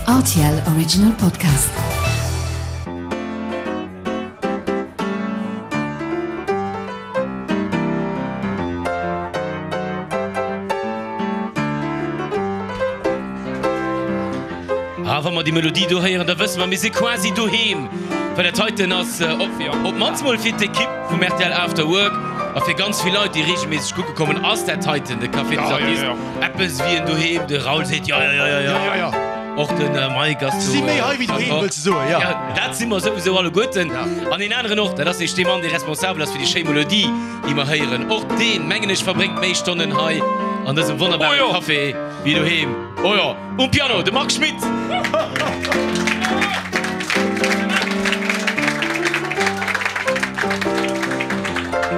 Rtl Original Podcast. Ah, wa mer déi Melodie do héieren, da wësse mer, mir si quasi doheem. Well dat heiten ass op d'mannst mol fir d'Ekipp vum rtl After Work a fir ganz vill Leit, déi reegelméisseg kucke kommen, ass dat heiten de Café des Artistes. Eppes wéi en Doheem. De Raoul seet jo, jo, jo, jo, jo. Och de Mike ass do. Si méi hei wéi doheem, wëlls de soen, jo. Jo, dat si mer souwisou alleguerten. An een aneren och, dat ass nämlech dee Mann, dee responsabel ass fir déi schéi Melodie, déi mer héieren. Och deen, mengen ech, verbréngt méi Stonnen hei an dësem wonnerbare Café wéi doheem. Oh jo, um Piano, de Marc Schmitt!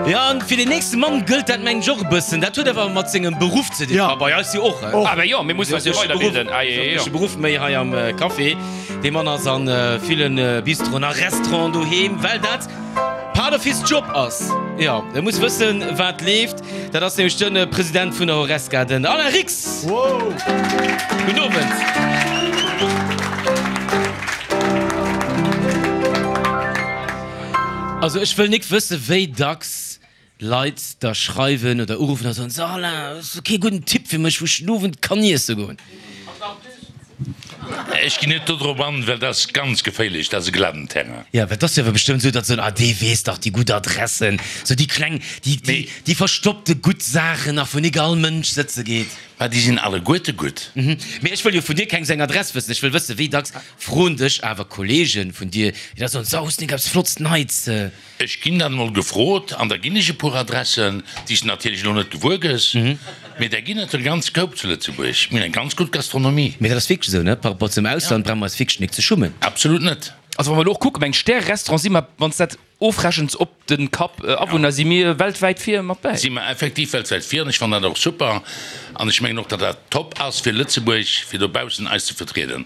Jo, an fir den nächste Mann gëllt dat mengen ech och e bëssen. Dat huet awer mat sengem Beruff ze dinn. Bei eis jo och. Ah ben jo, mir mussen eis jo weiderbilden. Ah jo, jo. E Beruff méi hei am Café. Dee Mann ass a ville Bistroen a Restauranten doheem, well dat part of his job ass. Jo, e muss wëssen, wat leeft. Dat ass nämlech de President vun der Horesca, den Alain Rix. Gudden Owend. Also ech wëll nik wësse wéi dacks Leit der schreiwen oder uruffen a soen, So Alain, hues du kee gudden Tipp fir mech, wou ech den Owend kann iesse goen? Ech ginn net dodrop an, well dat ass ganz geféierlech, dat ass e glatten Terrain. Jo, well et ass jo awer bestëmmt esou, datt se soen, ah dee weess dach déi gutt Adressen, sou déi kleng, déi, déi, déi verstoppte gutt Saachen nach, wou nik all Mënsch sëtze geet. Mä déi sinn alleguerte gutt. Mee ech wëll jo vun dir keng seng Adress wëssen, ech wëll wëssen, wéi dacks froen dech awer Kollege vun dir, déi da soen, so hues du nik eppes Flotts Neits? Ech ginn dann emol gefrot an da ginn ech e puer Adressen, déi s de natierlech elo net gewuer gëss, mee där ginn et e ganze Koup zu Lëtzebuerg. Mir hunn eng ganz gutt Gastronomie. Mee dat ass wierklech esou, ne? Par rapport zum Ausland brauche mer eis wierklech nik ze schummen. Absolut net. Also wa mer elo och kucken, meng Stär-Restaurant si mer, wann s dat ofrechens op de Kapp Awunner, si mir weltwäit vir mat bäi. Si mer effektiv weltwäit vir an ech fannen dat och super an ech mengen och, datt dat top ass fir Lëtzebuerg, fir dobaussen eis ze vertrieden.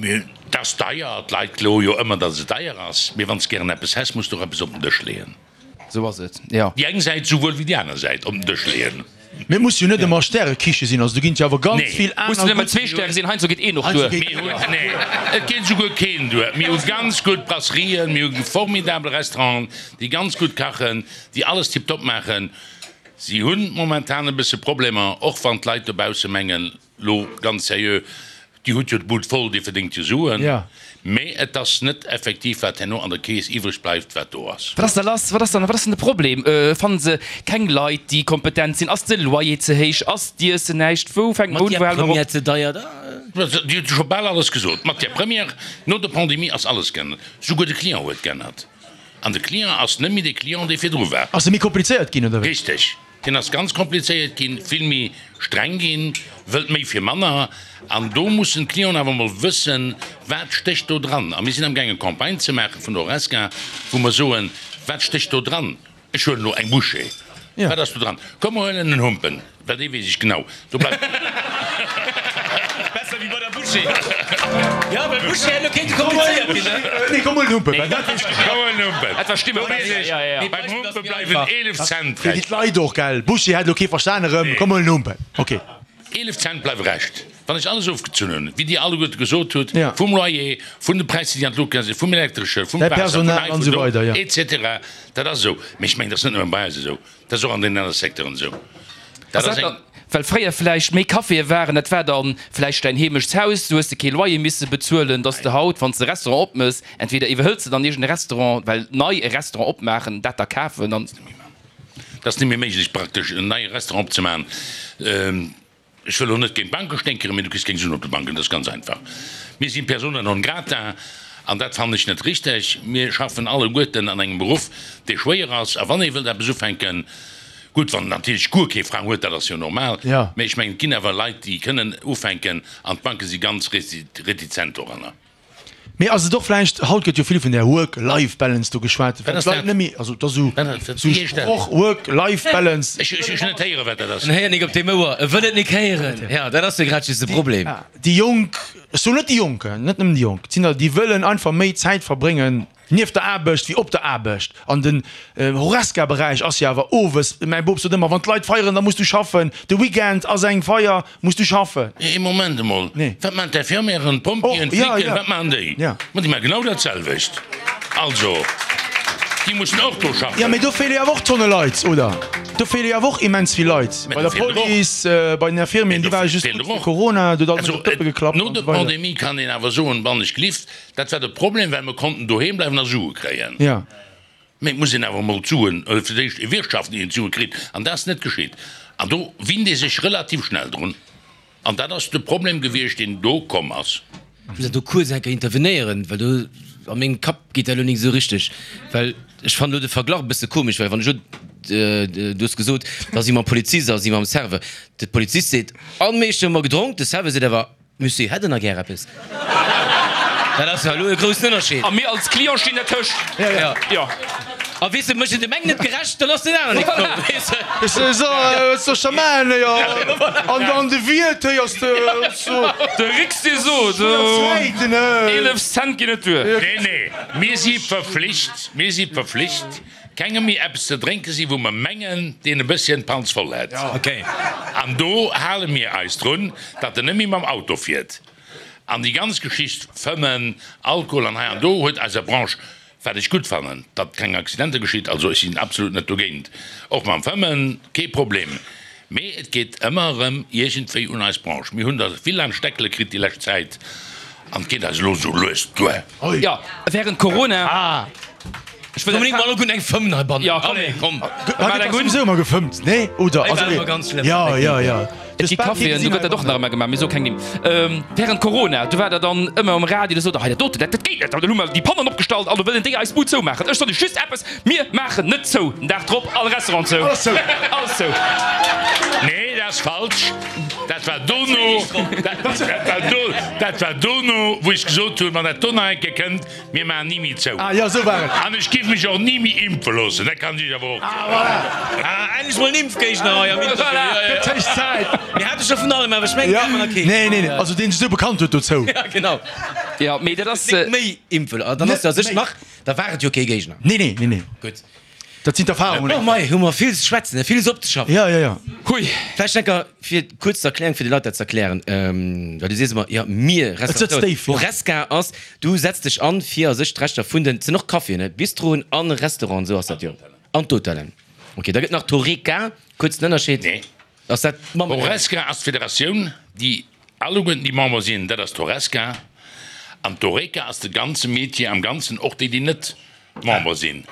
Et ass deier, d'Leit kloe jo ëmmer, datt et deier ass, mee wann s de gären eppes häss, muss de och eppes op den Dësch leeën. Esou ass et, jo. Déi eng Säit souwuel wéi déi aner Säit op den Dësch leeën. Mee et muss jo net ëmmer Stärekiche sinn, also do ginn et jo awer ganz vill aner Mussen net ëmmer gutt. zwee Stäre sinn, heiansdo geet een och duer. Mir hunn, nee, et geet esouguer keen duer. Mir hu ganz gutt Brasserien, mir hu formidabel Restauranten, déi ganz gutt kachen, déi alles tiptop maachen. Si hunn momentan e bësse Problemer, och wann d'Leit dobausse mengen, lo ganz seriö, Dir hutt jo d'Bud voll, Dir verdéngt jo Suen, mee et ass net effektiv, wat herno an der Keess iwwreg bleift, wat do ass. Wat ass da lass? Wat ass dann, wat ass dann de Problem? Fannen se keng Leit, déi kompetent sinn? Ass de Loyer ze héich? Ass d'Iessen näischt? Wou fänkt mer un, wou Matière hale mer op? première ze deier da? Dir hutt jo scho bal alles gesot. Matière première, no der Pandemie ass alles geännert. Souguer de Client huet geännert. An de Client ass net méi dee Client, dee virdru war. Ass e méi komplizéiert ginn, oder wéi? Richteg. Deen ass ganz komplizéiert ginn, vill méi streng ginn, wëllt méi fir manner. An do mussen d'Clienten awer emol wëssen, wat stécht do dran. A mir sinn amgaangen, Campagne ze maache vun der Horesca, wou mer soen, wat stécht do dran. Ech huelen elo eng Bouchée, wat ass do dran? Komm, mer huelen en Humpen. Well dee weess ech genau, do bleift. Besser wéi bei der Bouchée. Jo, well Bouchée hätt elo kéinte komplizéiert ginn, ne? Nee, komm huel en Humpen, well dat weess ech genau. Komm huel en Humpen. Dat war Stimme. Do weess ech, beim Humpe bleiwen 11 Cent Fir déi Rescht. Leit och, gell? Bouchée hätt elo kee verstan erëm. Komm huel en Humpen. Ok. 11 Cent bleiwe Rescht, wann ech alles ofgezunn hunn, wéi Dir alleguerte gesot hutt, Ja. vum Loyer, vun de Präisser, déi an d'Luucht gaange sinn, vum Elektresche, vum Däi Waasser, vun Personal hei, an vun esou do, weider, ja. et cetera. Dat ass esou. Mee ech mengen, dat ass net nëmme bei eis esou. Dat ass och an deenen anere Secteuren esou. Dat ass eng. Well fréier vläicht méi Caféë waren, dat war dann vläicht däin Heemechtshaus, du hues de kee Loyer misse bezuelen, dass de haut, wann s de e Restaurant opmëss, entweder iwwerhëls de dann iergend e Restaurant, well nei e Restaurant opmaachen, dat da kafen an. Dat ass net méi méiglech praktesch, en neie Restaurant opzemaachen. Ech wëll elo net géint d'Banke sténkeren, mee du kriss keng Suen op de Banken, dat ass ganz einfach. Mir si persona non grata an dat fannen ech net richteg. Mir schaffen alleguerten an engem Beruff, dee schwéier ass a wann ee wëllt eppes ufänken, gutt, wann en natierlech guer kee Frang huet, dat ass jo normal, mee ech mengen, et ginn awer Leit, déi kënnen ufänken an d'Banke si ganz retizent doranner. Mee ass et och vläicht, haut gëtt jo vill vun där Work-Life-Balance do geschwat, Wat ass d'Leit dat? net méi, also et ass esou Wat ass dat? esou Wéi heescht dat? Sproch, Work-Life-Balance. Ech ech hunn net héieren, wat dat ass. En héiert nik op deem Ouer, e wëll et nik héieren. Jo, dat ass jo grad just de Problem. Déi Jonk, ech soen net déi Jonk, net nëmmen déi Jonk, et sinn der, déi wëllen einfach méi Zäit verbréngen. Nieft der Aarbecht wéi op der Aarbecht. An den Horesca-Beräich ass jo awer owes, mäi Bop sot ëmmer, wann d'Leit feieren, da muss du schaffen, de Weekend ass eng Feier, muss du schaffen. Ee Moment emol, wat maachen d'Infirmièren, d'Pompjeeën, d'Flicken, wat maachen déi? Ma déi maache genau dat selwecht. Also, déi mussen och do schaffen. Jo, mee do feele jo awer och Tonne Leit, oder? Do feele jo awer och immens vill Leit. Bei der Police, bei den Infirmieren, déi ware just gutt fir Corona, do huet alles op d'Dëppe geklappt an esou weider. No der Pandemie kann een awer soen, wann ech gelift, Dat war de Problem, well mer konnten doheem bleiwen a Sue kréien. Mee et muss een awer emol d'Suen, fir d'éischt erwirtschaften, ier een d'Sue kritt. An dat ass net geschitt. An do winnt ee sech relativ schnell drun. An dat ass de Problem gewiescht, deen do komm ass. Ech muss do kuerz eng Kéier intervenéieren, well do a mengem Kapp geet dat elo nik esou richteg. Well ech fannen elo de Verglach e bësse komesch, well wann ech elo, du hues gesot, da si mam Polizist a si mam Serveur. De Polizist seet, An meeschte hu mer gedronk. De Serveur seet awer, Monsieur, hätt en nach gär eppes? Dat ass jo elo e groussen Ënnerscheed. A mir als Client stinn dertëscht. Ja. Jo. A weess de, mécht en dem engen net gerecht, dann ass deen aneren nik frou, weess de. Ech so, wat soll ech da maachen, jo? An an de Wiert héiers de so. De Rix dee sot, 11 Cent ginn net duer. Nee, nee, mir si verflicht, mir si verflicht, kengem méi eppes ze drénke si wou mer mengen, deen e bësschen d'Panz voll hätt. An do hale mir eis drun, datt en net méi mam Auto fiert. An déi ganz Geschicht Fëmmen, Alkohol an hei an do huet eiser Branche, wat ech gutt fannen, datt keng Accidenter geschitt, also ech sinn absolut net dogéint, och mam Fëmmen, kee Problem, mee et geet ëmmer erëm iergendwéi un eis Branche. Mir hunn der vill an d'Steckele kritt déi lescht Zäit an et geet eis elo esou lues duer. Jo, während Corona. Ech wëll unbedingt mol eng fëmmen heibannen. Ja, komm. Komm. Hei gëtt sowieso ëmmer gefëmmt, nee? Oder? Hei war ëmmer ganz schlëmm. Ja, ja, ja. Et gi Caféen, do gëtt dat och nach ëmmer gemaach, mee so keng Nimm. Während Corona, do war der dann ëmmer um Radio, do sot der, hei dat doten, dat geet net, an dann hu mer déi Pannen opgestallt an do wëllen déi eis Bud zoumaachen. Ech sot iech just eppes, Mir maachen net zou! Den Dag drop, all Restaurant zou. Alles zou. Alles zou. Nee, dat ass falsch. Dat war dono, dat war do, dat war dono, wou ech gesot hunn, wann dat do nach eng Kéier kënnt, Mir maachen ni méi zou. Ah jo, esou war et. An ech giff mech och ni méi impfe loossen, dat kann ech iech awer och Ah soen. voilà! Ah, endlech mol en Impfgéigner hei am Interview. Voilà! Ja, ja. Gëtt héich Zäit. Mir hate scho vun allem, awer ech mengen, Ja, mir haten nach keen. nee, nee, nee, also deen sech esou bekannt huet dozou. Ja, genau. Ja, mee dat ass. Net méi impfe lo-, dann ass Net jo a sech méi. nach, da war et jo kee Géigner. Nee, nee, nee, nee. Gutt. Dat sinn d'Erfahrungen. Oh mei, hu mer vill ze schwätzen, villes opzeschaffen. Ja, ja, ja. Hui. Vläicht enker fir kuerz z'erklären, fir de Leit dat z'erklären, well du sees ëmmer, jo mir Et sëtzt Restaurateuren, déif, ja. Horesca ass, du setz dech an fir a sech d'Rechter vun den, et sinn och Caféen, ne, Bistroen an Restauranten, esou ass dat jo, an d'Hotellen. Ok, da gëtt nach d'Horeca, kuerz den Ënnerscheed, Nee. ass dat d'Mamm? Horesca ass d'Federatioun, déi alleguerten déi Member sinn, dat ass d'Horesca, an d'Horeca ass de ganze Metier am Ganzen, och déi, déi net Member sinn.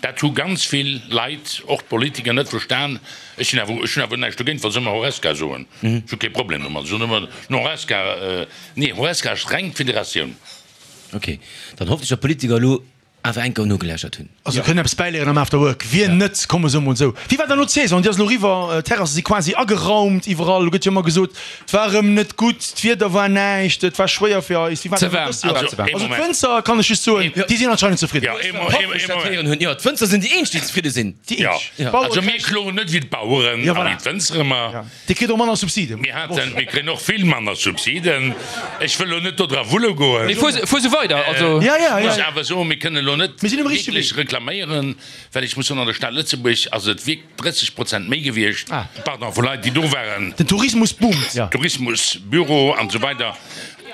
Dat hu ganz vill Leit, och d'Politiker, net verstan. Ech sinn awer, ech hunn awer näischt dogéint, wa se ëmmer Horesca soen. Ech hu kee Problem domat. Ech soen ëmmer den Horesca. Nee, Horesca ass reng d'Federatioun. Ok, dann hoffen ech, datt d'Politiker elo awer eng Kéier nogeläschert hunn. Also kënnen eppes bäiléieren am After Work. Wien net, komm ech soe mol esou. Wéi war dann elo d'Saison? Déi ass elo eriwwer, d'Terrasse si quasi ageraumt iwwerall. Elo gëtt jo ëmmer gesot, Et war erëm net gutt, d'Wieder war näischt, et war schwéier fir eis. Wéi war Ze dat waarm, dëst Joer? war ze waarm. Also d'Wënzer, kann ech just soen, déi sinn anscheinend zefridden. Jo, ee Hoffen ech dat Moment. héieren hunn. Jo, d'Wënzer sinn déi eenzeg, déi zefridde sinn. Déi Jo, eenzeg. D'Bauere also mir kréien. kloen net wéi d'Baueren Jo, a voilà. wéi d'Wënzer ëmmer. Ja. Dir kritt och manner Subsiden. Mir haten, mir kréien och vill manner Subsiden. Ech wëll elo net do dra wulle goen. Mee fuer, fuer sou weider, also. Ja, ja, Ech ja. muss awer soen, mir kënnen elo net Mir sinn um richtege wierklech Wee. reklaméieren, well ech muss soen, an der Stad Lëtzebuerg ass et wierk. 30 Prozent méi gewiescht, pardon, vu Leit, déi do waren. Den Tourismus boomt, jo. Tourismus, Büro an esou weider.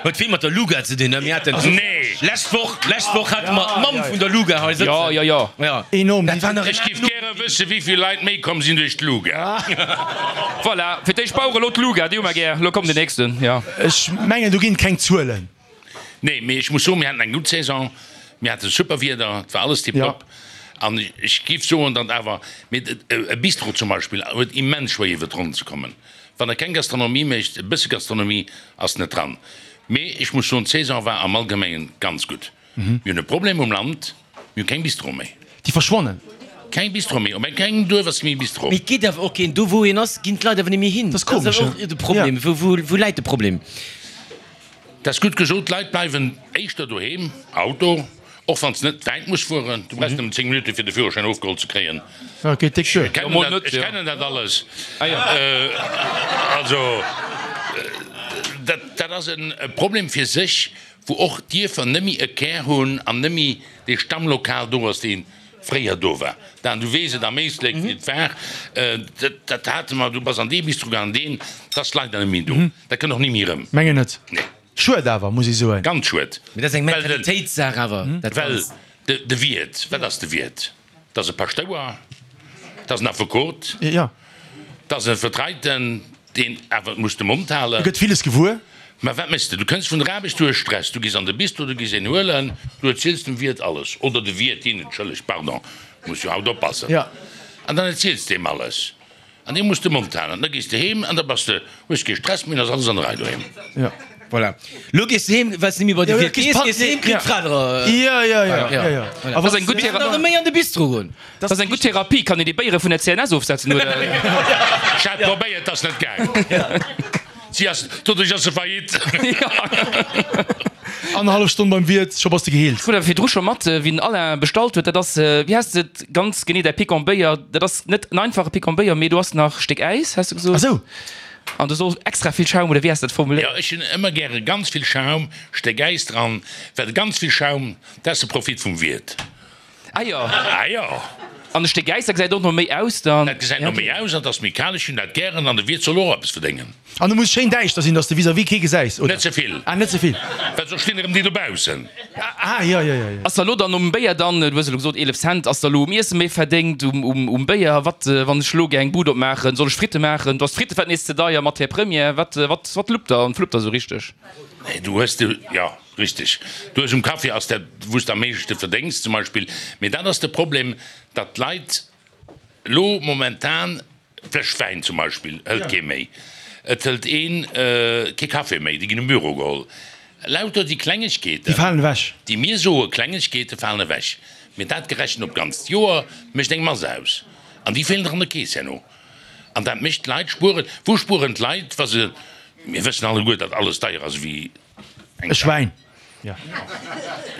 Huet vill mat der Luga ze dinn, ne? Mir haten Nee. lescht Woch, lescht Woch hate mer d'Mamm vun der Luga hei sëtzen. Jo, jo, jo. Jo. Enorm. Dat war nach Ech géif gäre wësse wéi vill Leit méi komm sinn duerch d'Luga. Voilà, fir d'éischt Bauere, lo d'Luga, déi hu mer gär. Lo komm den nächsten, jo. Ech mengen, do ginn et keng Zuelen. Nee, mee ech muss soen, mir haten eng gutt Saison, mir hate super Wieder, et war alles tiptop. An ech géif soen, datt awer, mee e Bistro zum Beispill huet immens schwéier iwwer d'Ronnen ze kommen. Wann e keng Gastronomie mécht, e bësse Gastronomie ass net dran. Mee ech muss soen, d'Saison war am Allgemengen ganz gutt. Mir hunn e Problem um Land, mir hu keng Bistro méi. Déi verschwannen. Keng Bistro méi, op kengem Duerf ass méi e Bistro. Mee et geet awer och keen, do wou een ass, ginn d'Leit awer net méi hin. Dat ass komesch, Dat ass awer och de Problem. Ja. Wou, wou läit de Problem? Dat ass gutt gesot, d'Leit bleiwen éischter doheem, Auto, och wann s net wäit muss fueren. Du brauchs nëmmen 10 Minutten, fir de Führerschäin ofgeholl ze kréien. Ja, geet déck duer. Ech kennen dat, ech kennen dat alles. Also, dat. Dat ass e Problem fir sech, wou och d'Dierfer nëmme e Kär hunn an nëmme dee Stammlokal do ass, dee fréier do war. Dan, du weess et am Éislek, wéi et war. Dat hate mer, du bass an dee Bistro gaangen, deen, dat ass leider net méi do. Dat kënnt och ni méi erëm. Mengen net. Nee. Schued awer, muss ech soen. Ganz schued. Mee dat ass eng Mentalitéitssaach awer, dat Well Ganzt. de Wiert, wat ass de Wiert? Dat ass e Paschtouer, dat ass en Affekot, dat ass e Vertreiten, deen awer muss de Mond halen. E gëtt villes gewuer. Mä wat méchs de? Du kënns vun der Aarbecht, du hues Stress, du gees an de Bistro, du gees een huelen, du erziels dem Wiert alles, oder de Wiert, deen, entschëllegt, pardon, muss jo haut oppassen, an dann erziels de him alles. An dee muss de Mond halen. An da gees de heem an da bass de, hues kee Stress méi, an ass alles an der Rei doheem. Jo. Voilà. Lo gees de heem, well s de net méi bei de Wiert gees, gees de heem, kritt d'Fra der. Jo, jo, jo, jo, jo. Dat ass eng gutt Mir nach méi an de Bistro goen. Dat ass eng gutt Therapie. Kann een déi Béiere vun der CNS ofsetzen, oder? Ech hat probéiert, ass net gaang. Si ass, doduerch ass se faillite. Annerhallef Stonn beim Wiert, scho bass de geheelt. Ech krut awer virdru scho mat, wéi den Alain bestallt huet, dat ass, wéi heesst et ganz genee, däi Picon Béier? Dat ass net en einfache Picon Béier, mee do ass nach Stéck Äis, has de gesot? Ah sou. An do soll extra vill Schaum, oder wéi has de dat formuléiert? Jo, ech hunn ëmmer gäre ganz vill Schaum, Stéck Äis dran, well ganz vill Schaum, dat ass de Profit vum Wiert. Ah jo. Ah jo. An e Stéck Äis, dat gesäit och no méi aus dann. Dat gesäit no méi aus an et ass méi kal. Ech hunn dat gären an de Wiert soll och eppes verdéngen. An e muss schéin däischter sinn, dass de vis-à-vis kee gesäis, oder? Net ze vill. Ah, net ze vill. Well soss stinn erëm déi dobaussen. Ah, jo, jo, jo, jo. Ass der elo dann um Béier dann, du hues elo gesot 11 Cent, ass der elo um Iesse méi verdéngt, um Béier? Wat, wann ech elo gär eng Bud opmaachen, soll ech Fritte maachen? Do ass d'Frittefett nees ze deier, Matière première. Wat, wat, wat luppt der an fluppt der esou richteg? Nee, du hues de, jo. Richteg. Du hues um Café ass dat wou s de am meeschte verdéngs zum Beispill. Mee dat ass de Problem, datt d'Leit elo momentan, d'Fläsch Wäin zum Beispill hëlt kee méi, et hëlt een kee Café méi, déi ginn um Büro geholl. Lauter déi Klengegkeeten, Déi falen ewech. déi mir soe Klengegkeete falen ewech. Mee dat gerechent op d'ganzt Joer mécht eng Mass aus an déi feelen der an der Keess herno. An dat mécht d'Leit spueren. Wou spueren d'Leit, wa se, mir wëssen alleguer, datt alles deier ass ewéi E Schwäin. Ja.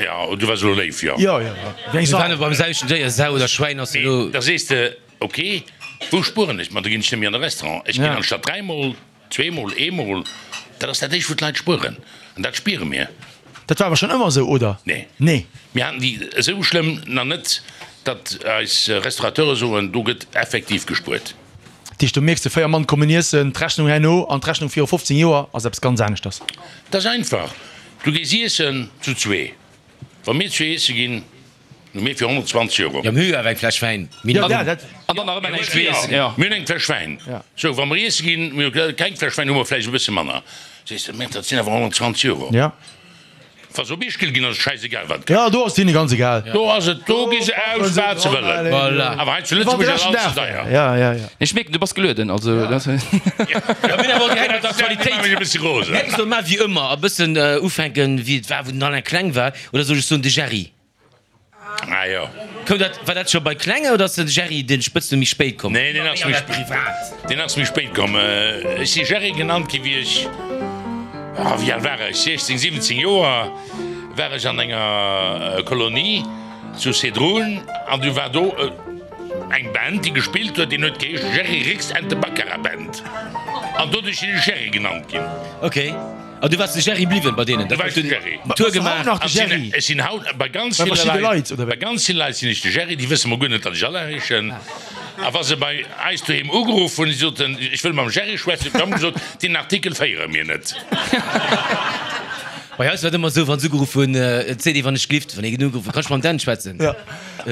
Ja, du waars elo léif, jo. Jo, jo, wéi eng Mir Sau. waren beim selwechten Déier, Sau oder Schwäin ass elo. Da sees de, ok, wou spueren ech? Ma da ginn ech net méi an de Restaurant. Ech ginn anstatt dräimol, zweemol, eemol. Dat ass dat éischt, wou d'Leit spueren. An dat spiere mir. Dat war awer schonn ëmmer esou, oder? Nee. Nee. Mir haten déi esou schlëmm nach net, datt eis Restaurateure soen, do gëtt effektiv gespuert. Dat heescht, do mierks de, 4 Mann kommen iessen, d'Rechnung herno an d'Rechnung viru 15 Joer ass eppes ganz aneschters. Dat ass einfach, du gees iessen zu zwee. Wa mir zwee iesse ginn, hu mir fir 120 Euro. Jo, mir hu jo awer eng Fläsch Wäin minimum. Ja, dat. An dann nach ëmmer näischt weess. Jo, mir hunn eng Fläsch Wäin. Sou, wa mer iesse ginn, mir hu keng Fläsch Wäin, hu mer vläicht e bësse manner. Sees de, mä dat sinn awer 120 Euro. Ja. Wa se op Ischgl ginn, ass et schäisegal wat et Ja, do ass et hinne ganz egal. Do ass et, do gi se aus wat se wëllen. Voilà. Awer hei zu Lëtzebuerg ass alles ze deier. Ja, ja, ja. Ech mierken, du bass gelueden, also dat. Ja, mir hunn awer och direkt mat der Aktualitéit. Mech e bëssi rosen. Mir hätten solle maachen wéi ëmmer, e bëssen ufänken wéi et war wou den Alain kleng war, oder soll ech soen de Jerry? Ah jo. Koum dat, war dat scho bei Klenge oder ass de Jerry den Spëtznumm méi spéit komm? Nee, deen ass méi, deen ass méi spéit komm. Ech si Jerry genannt gi wéi ech, ah wéi al war ech, 16, 17 Joer war ech an enger Kolonie zu Sedrun an du war do eng Band déi gespillt huet, deen huet geheescht Jerry Rix and the Baccara Band an doduerch sinn ech Jerry genannt ginn. Ok. An du waars de Jerry bliwwen bei deenen? Du waars de Jerry. Tour gemaach. Nach de Jerry. Ech sinn haut bei ganz Bei ville verschidde Leit, Leit, oder bei wéi? ganz ville Leit sinn ech de Jerry, déi wësse mol guer net, datt ech Alain heeschen. A wa se bei eis doheem ugeruff hunn, si soten, ech wëll mam Jerry schwätzen, da hu mer gesot, deen Artikel féiere mir net. Bei eis war et ëmmer esou, wann se ugeruff hunn, et seet ee wann ech glift, wann ee ginn ugeruff huet, kann ech mam Dan schwätzen? Ja,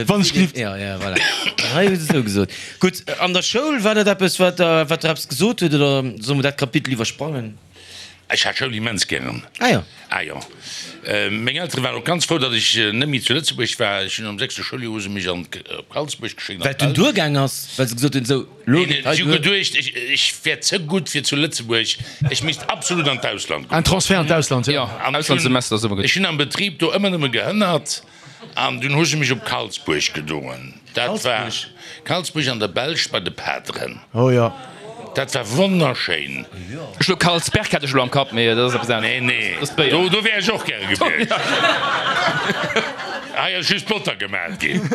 wann ech glift. Ja, ja, voilà. Hei hu se esou gesot. Gutt, an der Schoul, war dat eppes, wat der, wat der eppes gesot huet, oder solle mer dat Kapitel iwwersprangen? Ech hat Schoul immens gären. Ah jo. Ah jo. Meng Eltere waren och ganz frou, datt ech net méi zu Lëtzebuerg war. Ech hunn am sechste Schouljoer hu se mech an op Kalsbuerg geschéckt, an Well et dunn d'Belsch. duergaang ass, well se gesot hunn, sou, lo geet hei Si hu duer. geduecht, ech, ech wär ze gutt fir zu Lëtzebuerg, ech misst absolut an d'Ausland goen. En Transfert an d'Ausland, jo. Jo, An ech hunn, Auslandssemester ass ëmmer gutt. ech hunn am Betrib do ëmmer nëmme gehënnert an dunn hu se mech op Kalsbuerg gedoen. Dat war Kalsbuerg an der Belsch bei de Pateren. Oh jo. Dat war wonnerschéin. Ech lo Kalsberg hat ech lo am Kapp, mee dat ass eppes anescht. Nee, nee, Dat ass d'Béier. do, do wär ech och gäre gewiescht. Hei ass just Botter gemat ginn.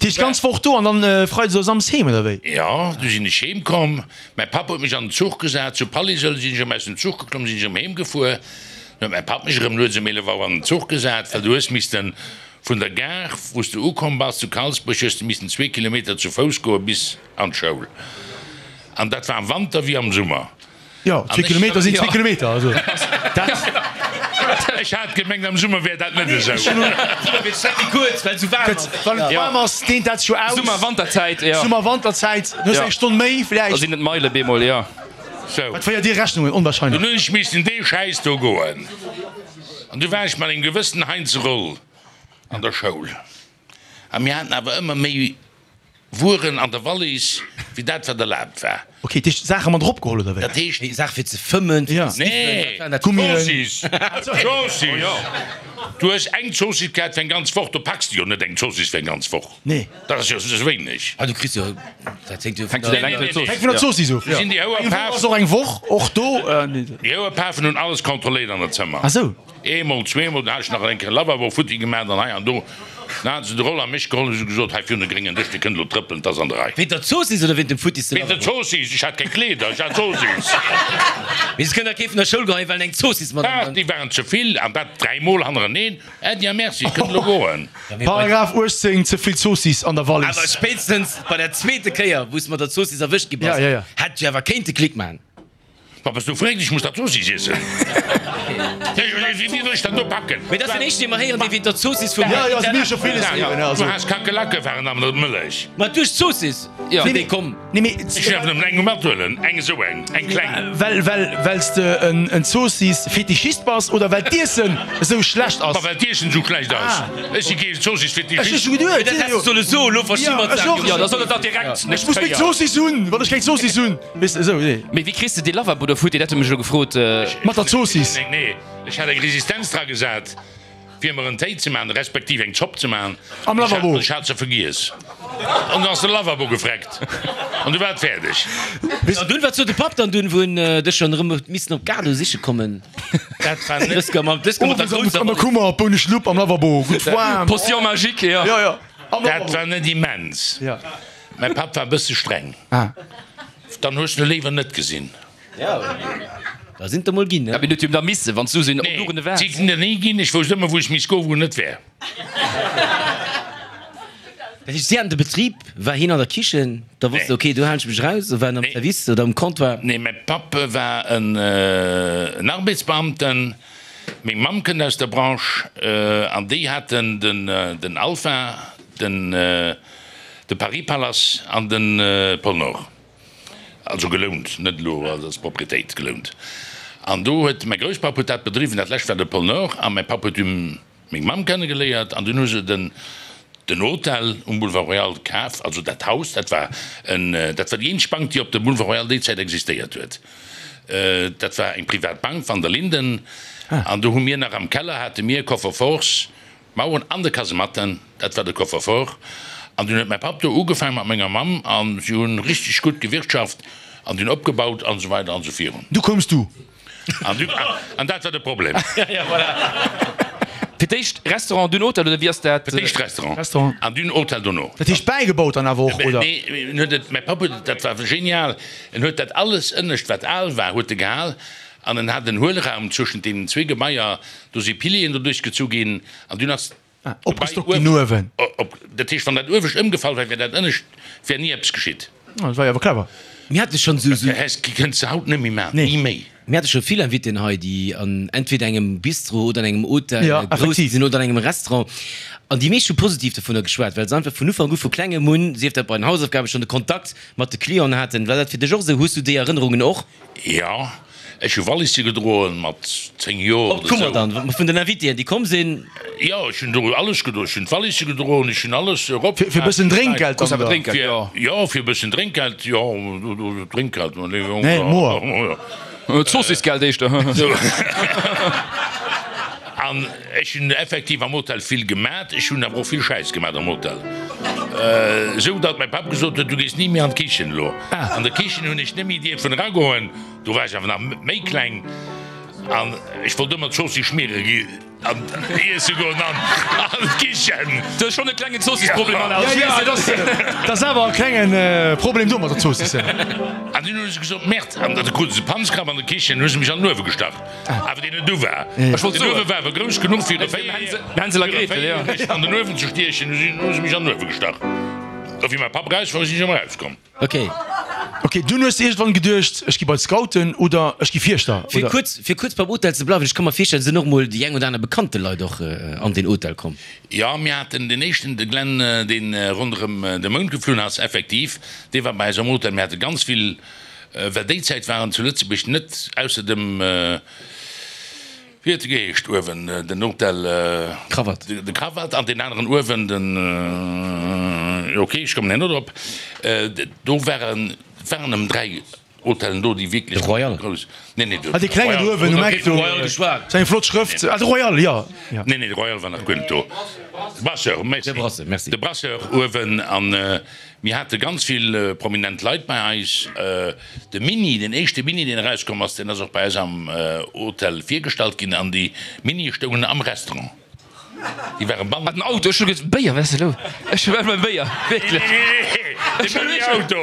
Heescht d'ganz Woch do an dann Freides oder Samsdes heem, oder wéi? Jo, du sinn ech heem komm. Mäi Papp huet mech an den Zuch gesat. Zu Pallisel sinn ech erëm aus dem Zuch geklomm, sinn ech erëm heem gefuer. Dann huet mäi Papp mech erëm lues um 11 Auer an den Zuch gesat, well du hues missten vun der Gare, wou s du ukomm bass, zu Kalsbréch, hues du missten zwee Kilometer zu Fouss goe bis an d'Schoul. An dat war am Wanter wéi am Summer. Jo, zwee Kilometer sinn zwee Kilometer, also dat. Ech hat gemengt, am Summer wär dat net esou. Summer wier d'Streck méi kuerz, well et esou waarm ass. Wann et waarm ass, deent dat sech jo aus. Summer-Wanterzäit, jo. Summer-Wanterzäit, du hues eng Stonn méi vläicht. Da sinn et Meile bemol, jo. Sou. Wat féiert Dir Rechnungen? Onwahrscheinlech. Dunn hunn ech missen dee Schäiss do goen. An du war ech mat engem gewëssenen Heinz Roll an der Schoul. A mir haten awer ëmmer méi Wueren an der Wallis, wéi dat, wat erlaabt war. Ok, dat heescht Saache mat eropgeholl, oder wéi? Dat heescht. Nee, Saache fir ze fëmmen, fir ze sniffen, dat waren dat. Gummien. Zoossiss! Zoossiss! Du hues eng Zoossiss gehat fir eng ganz Woch. Do packs de jo net eng Zoossiss fir eng ganz Woch. Nee. Dat ass jo ze wéineg. Ah, du kriss jo, dat hänkt jo vun der Längt der Zoossiss. Hänkt vun der Zoossiss of, jo. Sinn déi Eng Woch Houerpafen. ass och eng Woch, och do. Déi Houerpafen hunn alles kontrolléiert an der Zëmmer. Ah sou. Eemol, zweemol, dann hat ech nach eng Kéier Lavabo futti gemaach an hei an do. Dann haten se de Roll a mech geholl an hu se gesot, Hei virun de gréngen Dësch, dee kënnt elo trëppelen, 't ass an der Rei. Wéint der Zoossiss oder wéint dem futtisse Wéint der Lavabo? Zoossiss! Ech hat keng Kleeder, ech hat Zoossiss. Mee se kënnen der kee vun der Schoul geheien, well en eng Zoossiss mat an Ach, déi waren ze vill, an dat dräimol hannereneen. Äddi a Merci, et kënnt elo goen. Paragraph 18, Ze vill Zoossiss an der Wallis. Awer spéitstens bei der zweete Kéier, wou s de mat der Zoossiss erwëscht gi bass, hätt ech awer kéinte Klick maachen. Ma bass du verréckt? Ech muss dat Zoossiss iessen. Wéi soll ech dat do packen? Mee dat ass den éischten, dee mer héieren, dee wéint der Zoossiss vum. Jo, jo, se mir scho villes héieren. Du has Kakelacke waren an der Mëllech. Ma duerch d'Zoossiss sinn déi komm. Nee, mee. Ech däerf nëmmen eng mathuelen, eng esou eng, eng kleng. Well, well, well s de en Zoossiss-Fetischist bass oder well d'Iessen esou schlecht ass? Ma well d'Iessen esou schlecht ass. Ech si kee Zoossiss-Fetischist. Ech hu scho geduet. Mee dat häss de solle soen, elo versti mer d'Saach jo. Jo, da soll et dach direkt. Ech muss meng Zoossiss hunn, wann ech keng Zoossiss hunn. Weess de, esou, nee. Mee wéi kriss de dee Lavabo do futti? Dat hu mech elo gefrot. Mat der Zoossiss. Nee, nee, ech hat eng Resistenz dra gesat, fir mer en Téi ze maachen, respektiv eng Zopp ze maachen. Am Lavabo. Ech hat se vergiess. An du ass de Lavabo gefreckt. An du war et fäerdeg. An dunn, wat sot de Papp dann dunn, wou en dech schonn erëm huet missen op d'Gare siche kommen? Dat war net. Dës Kéier mat der grousser An der Kummer, Bouneschlupp am Lavabo, gutt waarm. Potion magique, jo. Jo, jo. Am Dat Lavabo. war net immens. Ja. Mäi Papp war e bësse streng. Dann hues de léiwer net gesinn. Da sinn der mol ginn, ne? Ja, mee huet jo da missen, wann s du sinn op Nee, Luren waars. si sinn der ni ginn. Ech wousst ëmmer, wou ech misst goen, wou en net wär. Dat heescht, si haten de Betrib, war hien an der Kichen, da wosst de, okay, do halen ech mech raus, oder war en am Service oder um Comptoir? Nee, mäi Papp war en Arbeitsbeamten. Meng Mamm kënnt aus der Branche an déi haten den Alpha, den. De Paris Palace an de Pôle Nord, also gelount, net elo als Proprietéit, gelount. An do huet mäi Grousspapp huet dat bedriwwen, dat lescht war de Pôle Nord a mäi Papp huet du meng Mamm kennegeléiert an dunn hu se den den Hotel um Boulevard Royal kaf, also dat Haus, dat war en, dat war déi eenzeg Bank, déi op dem Boulevard Royal déi Zäit existéiert huet. Dat war eng privat Bank, Van der Linden, an do hu mir nach am Keller hate mir Coffre-forts, D'Maueren an de Kasematten, dat war de Coffre-fort. An dunn huet mäi Papp do ugefaang mat menger Mamm an si hunn richteg gutt gewirtschaft an dunn opgebaut an esou weider an esou virun. Du koums du. An du, an dat war de Problem. Fir d'éischt Restaurant, dunn Hotel, oder wéi ass dat? Fir d'éischt Restaurant Restaurant. an dunn Hotel dono. Dat heescht bäigebaut dann awer och, oder? Nee, en huet et, mäi Papp huet et, dat war genial, en huet dat alles ënnescht wat al war, huet e gehal an en hat en Huelraum zwëschent deenen zwee Gebaier, Do si Pilieren doduerch gezu ginn an dunn ass d'Gebai uewen op. Dat heescht, wann dat uewescht ëmgefall wär, wär dat ënnescht, wär ni eppes geschitt. Dat war jo awer clever. Mir hate schonn esou. Dat kënns de haut net méi maachen, ni méi. Mir hate scho vill Invitéen hei, déi an entweder engem Bistro oder an engem Hotel grouss gi sinn oder an engem Restaurant. An déi meescht hu positiv dovunner geschwat, well se einfach vun Ufank u, vu klengem un, sief dat bei den Hausaufgaben, schonn de Kontakt mat de Clienten haten. War dat fir dech och esou? Hues du déi Erënnerungen och? Jo, ech hu Wallisse gedroen mat 10 Joer Op oder d'Kummer sou. dann, vun den Invitéen, déi komm sinn? Jo, ech hunn do alles gedroen. Ech hunn d'Wallisse gedroen, ech hunn alles erop. Fir e bëssen Drénkgeld dann, oder? Fir, jo, fir e bëssen Drénkgeld, jo, Drénkgeld, ma nee, Nee, moer. Zoossissgeld éischter. An ech hunn effektiv am Hotel vill gemat. Ech hunn awer och vill Schäiss gemat am Hotel. Esou datt mäi Papp gesot huet, Du gees ni méi an d'Kichen elo. An der Kichen hunn ech net méi dierfen eragoen. Do war ech awer nach méi kleng. An ech wollt ëmmer d'Zoossiss schmiere gi an iesse goen an d'Kichen. Du hues schonn e klengen Zoossissproblem, Alain. Ja, ja, dat ass, dat ass awer e klenge Problem do mat der Zoossiss. An dunn hu se gesot, Merde! An da krute se Panzkrapp an der Kichen, hu se mech an den Uewe gestach. Awer deen net u war. Ech wollt Den soen. Uewe war awer grouss genuch fir e Hänsel a Gretel, ja. Véierjäregen an den Uewen ze stiechen. Hu se mech an den Uewe gestach. A wéi mäi Papp eraus war, sinn ech erëm erauskomm. Ok. Ok, dunn hues de iergendwann geduecht, ech gi bei d'Scouten oder ech gi Fierschter, Fir oder? kuerz, fir kuerz beim Hotel ze bleiwen, ech ka mer virstellen, et sinn och mol déi eng oder aner bekannte Leit och an deen Hotel komm. Jo, mir haten deen éischten, de Glenn, dee ronderëm de Mound geflunn ass, effektiv, dee war bei eis am Hotel. Mir hate ganz vill, well déi Zäit waren zu Lëtzebuerg net, ausser dem, Wéi huet e geheescht uewen, den Hotel? Krawatt. De Krawatt an deen aneren uewen, den, ok, ech kommen herno drop. Do waren, et waren nëmmen 3 Hotellen do, déi wierklech De Royal. grouss, nee, nee, de Ah, dee klengen Royal. uewen um Eck do, Royal geschwat. sou eng flott Schrëft. Ah, de Royal, jo, jo. Nee, nee, de Royal war nach guer net do. De Brasseur, merci. De Brasseur, merci. De Brasseur uewen an Mir hate ganz vill prominent Leit bei eis. De Mini, deen éischte Mini, deen erauskomm ass, deen ass och bei eis am Hotel virgestallt ginn an déi Minie stoungen am Restaurant. Déi ware bannen. Ah, den Auto, ech hu geduet, Béier, wat ass elo? Ech hu ëmmer Béier, wierklech. Nee, nee, nee, de Mini-Auto.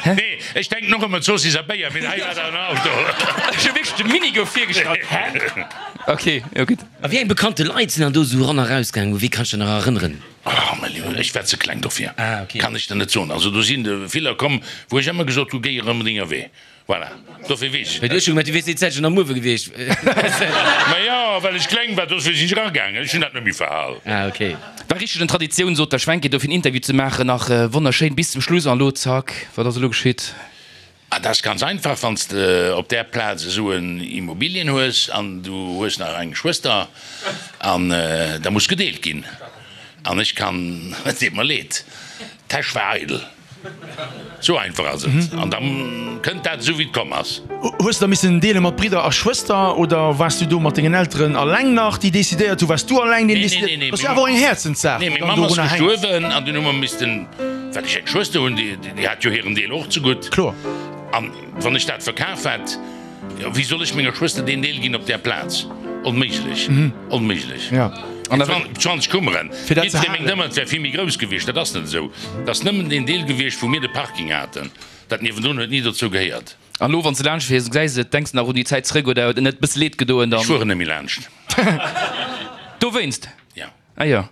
Hä? Nee, ech denken och ëmmer Zoossiss a Béier, mee hei war dat en Auto. Ech hu wierklech de Mini gouf virgestallt. Hä? Ok, jo gutt. A wéi eng bekannte Leit sinn dann do esou eran a rausgaangen? U wee kanns du dech nach erënneren? Oh mäi Liewen, ech war ze kleng dofir, Ah, okay. kann ech der net soen. Also do sinn der viller komm, wou ech ëmmer gesot hu, géi erëm denger Wee. Voilà, dofir weess ech Well du net. hues jo gemengt, du wiers déi Zäit schonn am Uewe gewiescht. Ma jo, well ech kleng war, dofir sinn ech eragaangen. Ech hunn dat net méi verhal. Ah, okay. War richteg en Traditioun, sot der Schwenke, dofir en Interview ze maachen. Nach wonnerschéin bis zum Schluss an elo zack, wat ass elo geschitt? Ah, dat ass ganz einfach, wann s de op där Plaz esou en Immobilien hues an du hues nach eng Schwëster an da muss gedeelt ginn. An ech kann, et deet mer leed, d'Täsch war eidel. Esou einfach ass et. An da kënnt dat esou wéi et komm ass. Hues de da missen deele mat Bridder a Schwëster oder waars du do mat dengen Elteren alleng nach, déi decidéiert hu? Waars du alleng deen decidéiert? Nee, nee, Dat ass jo awer och eng Häerzenssaach, nee, déi meng dann Mamm ass dorunner hänkt. gestuerwen an dunn hu mer missten, well ech eng Schwëster hunn, déi, déi hat jo hiren Deel och zegutt. Kloer. An wann ech dat verkaf hätt, jo, wéi soll ech menger Schwëster deen Deel ginn op där Plaz? Onméiglech, onméiglech. Ja. An da 20 Kummeren, Fir dat ze jiddweree mengt halen. ëmmer, et wär vill méi grouss gewiescht. Dat ass net esou. Et ass nëmmen deen Deel gewiescht, wou mir de Parking haten. Dat niewendrun huet ni dozou gehéiert. An lo wann s de laanscht fiers, gesäis et, denks de nach un déi Zäit zréck oder huet et net bësse leed gedoen dann? Ech fueren net méi laanscht. Dowéinst? Ja. Ah jo.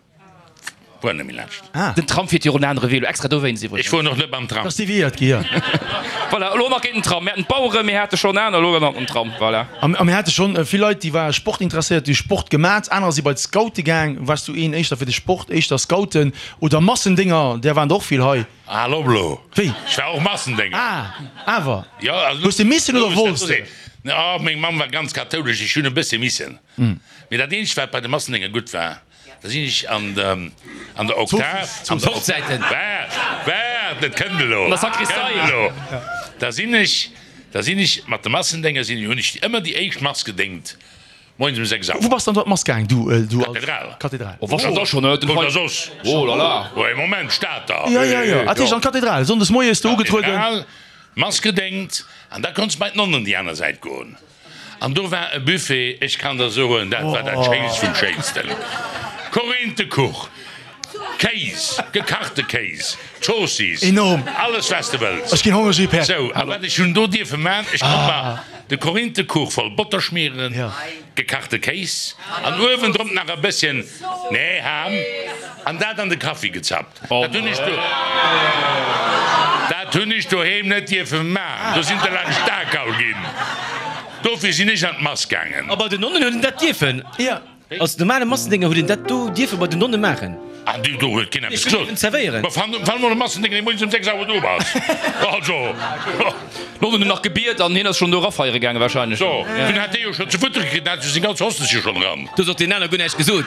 Fueren net méi laanscht. Ah. Den Tram fiert jo och en anere Wee lo, extra dowéinst Ech iwwregens. fueren och net mam Tram. Ass deviéiert gi, jo. Voilà, elo nach géint den Tram. Mir haten d'Baueren, mir hate schonn aner, elo nach den Tram. Voilà. A mir hate schonn vill Leit, déi ware sportinteresséiert, déi hu Sport gemat, anerer si bei d'Scoute gaang. Waars du een éischter fir de Sport, éischter Scouten oder Massendénger? Där waren der och vill hei. Al op elo! Wéi? Ech war och Massendénger. Ah, awer. Jo, also. Hues de missen oder wollts de? Oh, meng Mamm war ganz kathoulesch, ech hunn e bësse missen. Mee dat eenzegt, wat bei de Massendénger gutt war, da sinn ech an der, an der Oktav, an der Hochzäiten. Waart, waart, et kënnt elo! An der Sakristei. Kënnt elo! Da sinn ech, da sinn ech mat de Massendénger sinn, hunn ech ëmmer déi éischt Mass gedéngt. Moies um 6 Auer. Wou bass dann do an d'Mass gaang, du, du als. Kathedral. Kathedral. Oh, was da schon, den Wou Hei. da soss? Oh la la. Oh, ee Moment, Stater. Ja, ja, ja. Dat heescht an d'Kathedral, sonndes moies do ugetrueden. Kathedral, Mass gedéngt an da konns bei d'Nonnen déi aner Säit goen. An do war e Buffet, ech kann der soen, dat war dat Schéinst vum Schéinsten. Korinthekuch, Kéis, gekachte Kéis, Zoossiss, Enorm. alles wat s de wëlls. Ech ginn hongreg, Här Päerd. Sou, a wat ech hunn do dierfe man, ech konnt mer de Korinthekuch voll Botter schmieren, gekachte Kéis an uewendrop nach e bësschen, nee, Ham, an dat an de Kaffi gezappt. Dat hunn ech do, dat hunn ech doheem net dierfe man, do sinn de laanscht d'Akal ginn. Dofir sinn ech an d'Mass gaangen. A bei den Nonnen huet een dat dierfen? Als normale Massendénger huet een dat do dierfe bei den Nonne maachen. Ah, du, do huet keen eppes gesot. Zerwéieren. Ma wann, wann emol e Massendénger dee moies um 6 Auer do ass, also. D'Nonnen hunn nach gebiet an hien ass schonn do erafeiere gaange wahrscheinlech. So, dunn hat dee jo schonn ze futteren kritt, den hat jo seng ganz Hostesche schonn eran. Du hues och deen aner guer näischt gesot,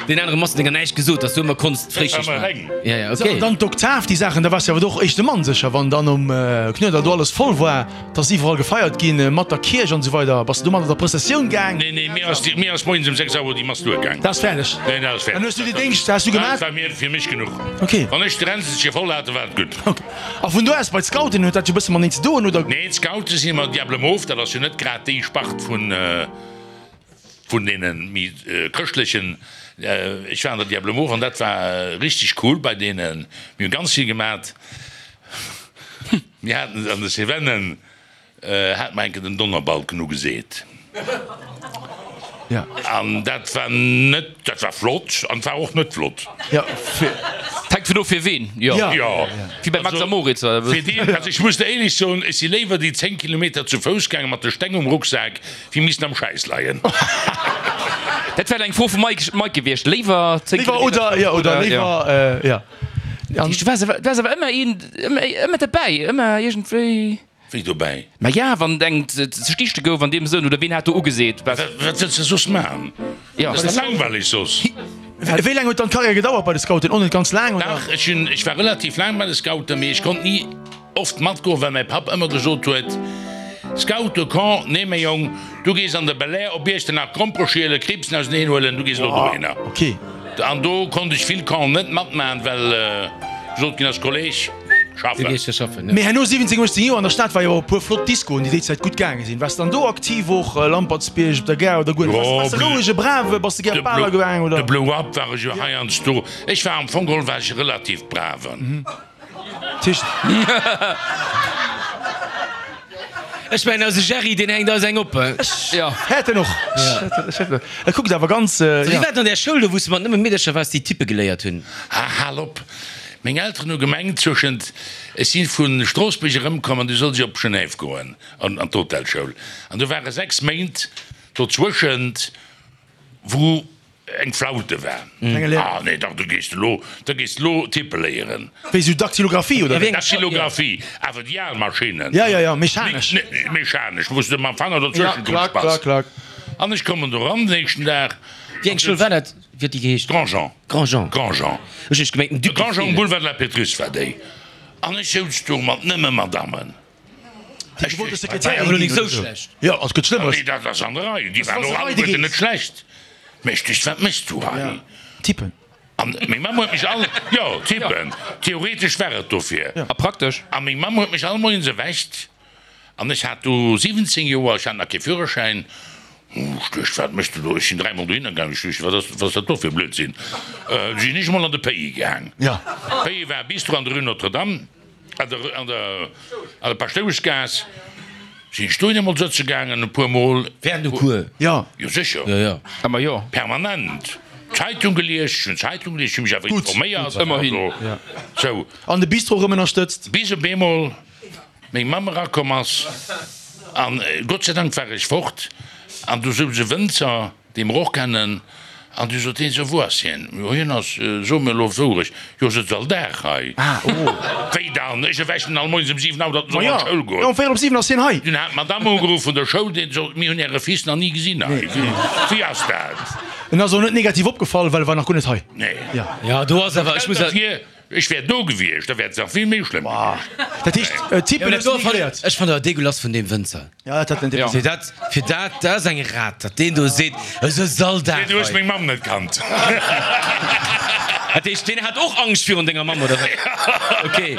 deen anere Massendénger näischt gesot, dass du ëmmer konns d'Fréischicht maachen. Ja, ja, So, okay. an dann d'Oktav, déi Saachen, da waars de awer och éischte Mann sécher, wann dann um Knuedler do alles voll war. 't ass iwwerall gefeiert ginn, mat der Kierch an esou weider. Bass de do mat an der Prëssessioun gaang? Nee, nee, mir ass, mir ass moies um 6 Auer déi Mass duergaang. Dat ass fäerdeg? Nee, dat ass fäerdeg. Dann hues du déi Déngscht, has du gemaat? Dat war mir, fir mech genuch. Ok. Wann ech de Ränzelche voll hat, da war et gutt. Ok. A vun do aus bei d'Scouten, huet dat jo e bësse mateneen ze doen, oder? Nee, d'Scoute si mer Diable Mauve, dat ass jo net grad déi Spart vun. Vun deene méi chrëschtlechen. Ech war an der Diable Mauve an dat war richteg cool bei deenen. Mir hu ganz vill gemat. Mir haten an de Cevennen hate mer eng Kéier den Donnerbalken ugeseet. An dat war net, dat war flott an et war och net flott. Hänkt vun of fir ween, jo. Wéi bei Max a Moritz. Fir deen, also ech muss der éierlech soen, ech si léiwer déi 10 Kilometer zu Fouss gaange mat de Steng um Rucksak, Wéi missten am Schäiss leien. Dat wär eng Fro vum Mike, Mike gewiescht. Léiwer 10 Léiwer oder, ja, oder léiwer, ja. Du waars awer, du waars awer ëmmer een, ëmmer, ëmmer derbäi, ëmmer iergendwéi. Wéi dobäi? Ma ja, wann eng ze stichte gouf an deem Sënn, oder ween hat do ugeseet? Wat wëlls de soss man? Ja. Dat ass da langweileg soss. Wéi laang huet dann d'Karriär gedauert bei de Scouten? Och net ganz laang, oder? Dach, ech hunn, ech war relativ laang bei de Scouten, mee ech konnt ni. Oft matgoen, well mäi Papp ëmmer gesot huet, Scout de Camp, nee mäi Jong, du gees an de Belair op Iechternach Grompere schielen, Kriibsen auseneen huelen, du gees elo dohinner. An do konnt ech vill Campen net matmachen, well gesot ginn ass, Kolleg, schaffen. Mee herno 17, 18 Joer an der Stad war jo och e puer flott Discoen, déi déi Zäit gutt gaange sinn. Waars de dann do aktiv och, Lampertsbierg, op der Gare oder guer net? Waars de rouege, brave, bass de gär op Baler gaang oder? De Blow Up war ech jo heiansdo. Ech war am Fong geholl war ech e relativ braven. Ech mengen eise Gerry, deen hänkt eis eng op. Ech hätt en och. E kuckt awer ganz. Wéi war et an där Schoul do, wou s de mat nëmme Meedercher waars, déi Typpe geléiert hunn? Ah, hal op! Meng Elteren hu gemengt, zwëschent, ech si vu Stroossbuerg erëmkomm an du sollt ech op Genève goen, an d'Hotelschoul. An do ware 6 Méint dozwëschent, wou eng Flaute war. Ah nee, dach, du gees elo, da gees de elo tippe léieren. Wéi sou Daktylographie oder wéi? Daktylographie, awer déi al Maschinnen. Ja, ja, ja, mechanesch. Mechanesch, wou s de mam Fanger dozwëschen Ja, klack, klack, klack. An ech kommen do ran den éischten Dag. Wéi eng Schoul war dat? Wéi huet déi geheescht? Grandjean. Grandjean. Grandjean. Ech hunn gemengt den Duc de Grandjean um Boulevard de la Pétrusse war déi. An ech souz do mat nëmme Madammen. Ech wollt de Sekretär ginn oder sou. Jo, et gëtt Schlëmmeres. Nee, dat ass an der Rei. Déi waren och alleguerten net schlecht. Mä ech duecht, wat méchs du hei? Tippen. An meng Mamm huet mech all, jo, tippen. Theoretesch war et dofir. A praktesch? A meng Mamm huet mech all Moies erwächt. An ech hat du 17 Joer, ech hat nach kee Führerschäin. Ech duecht, wat méchs du do? Ech sinn dräimol dohinner gaang. Ech duecht, wat ass, wat ass dat do fir e Blödsinn? Du sinn ech emol an de Pays gaang. Pays war e Bistro an der Rue Notre-Dame. An der, an der, an der Paschtoueschgaass sinn ech dohin emol sëtze gaangen, e puer Mol. Während dem Cours? Jo. Jo, sécher. Jo, jo. Ëmmer jo. Permanent. Zeitung gelies, ech hunn Zeitung gelies, ech hu mech awer informéiert. Ëmmerhin. Also, sou. An de Bistro erëm ënnerstëtzt. Bis op eemol meng Mamm erakomm ass, an Gott sei Dank war ech fort, an du souz e Wënzer, Dee mer och kennen. An du sot hien, Sou, wou ass hien? Jo, hien ass, so mir elo d'Wourecht, jo, sëtzt all Dag hei. Wéi dann? Ech erwächen en all moies ëm 7 Auer, datt en soll an d'Schoul goen. Jo, um véierel op 7 ass hien hei. Dunn hat d'Madame ugeruff vun der Schoul, déi sot, Mir hunn Äre Fils nach ni gesinn hei. Wéi ass dat? En ass och net negativ opgefall, well e war nach guer net hei. Nee. Jo, do ass awer, ech muss. Stell der vir, Ech wär do gewiescht, da wär et nach vill méi schlëmm gewiescht. Dat heescht, Typen hues du ni geléiert? Ech fannen awer degueulass vun deem Wënzer. Ja, dat hat en Fir dat, fir dat, dat ass eng Rat, datt deen do seet, esou all Dag Nee, du hues hei. meng Mamm net kannt. Dat heescht, deen hat och Angscht virun denger Mamm, oder wat? Ok,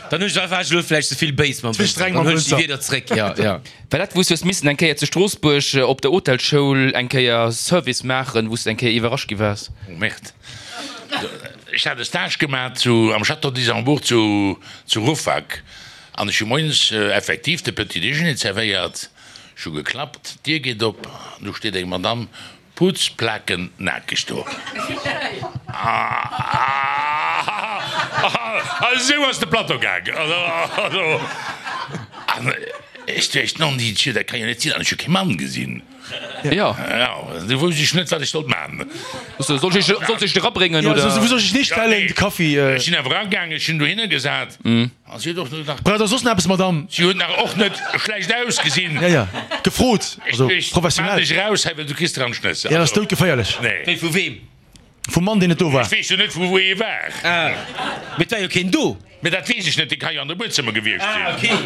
dann hunn ech, war ech elo vläicht ze vill béis mam Ze Wënzer. streng Dann mam huelen ech déi Wënzer. Wierder zréck, ja, ja. War dat, wou s du hues missen eng Kéier zu Stroossbuerg op der Hotelschoul eng Kéier Service maachen, wou s du eng Kéier iwwerrascht gi waars? Oh Merde. Ech hat e Stage gemaat zu am Château d'Isambourg zu zu Rouffach an ech hu moies effektiv de Petit Déjeuner zerwéiert. Ech hu geklappt, d'Dier geet op an do steet eng Madame putzplakennackeg do. A esou ass de Plateau gaang. An ech duecht, Non Dieu, dat ka jo net sinn an ech hu kee Mann gesinn. Jo. Jo, du wousst ech net, wat ech sollt man. Soll ech soll ech erabréngen, Ja, oder? wou soll ech nicht stellen, de Kaffi? Ech sinn awer eragaangen, ech hunn dohinner gesat a si huet och nach. Braucht Der soss nach eppes, Madame? Si huet nach och net schlecht ausgesinn. Ja, ja, gefrot, also Ech professionell. Maan dech eraus hei, well du kriss der an d'Schnëss. Ja, dat ass doudgeféierlech. Nee. Wéi, vu weem? Vum Mann, deen net do war. Ech weess jo net, vu wou hie war. Ah, mee et war jo keen do. Mee dat weess ech net, dee ka jo an de Buedzëmmer gewiescht sinn. Ah, okay.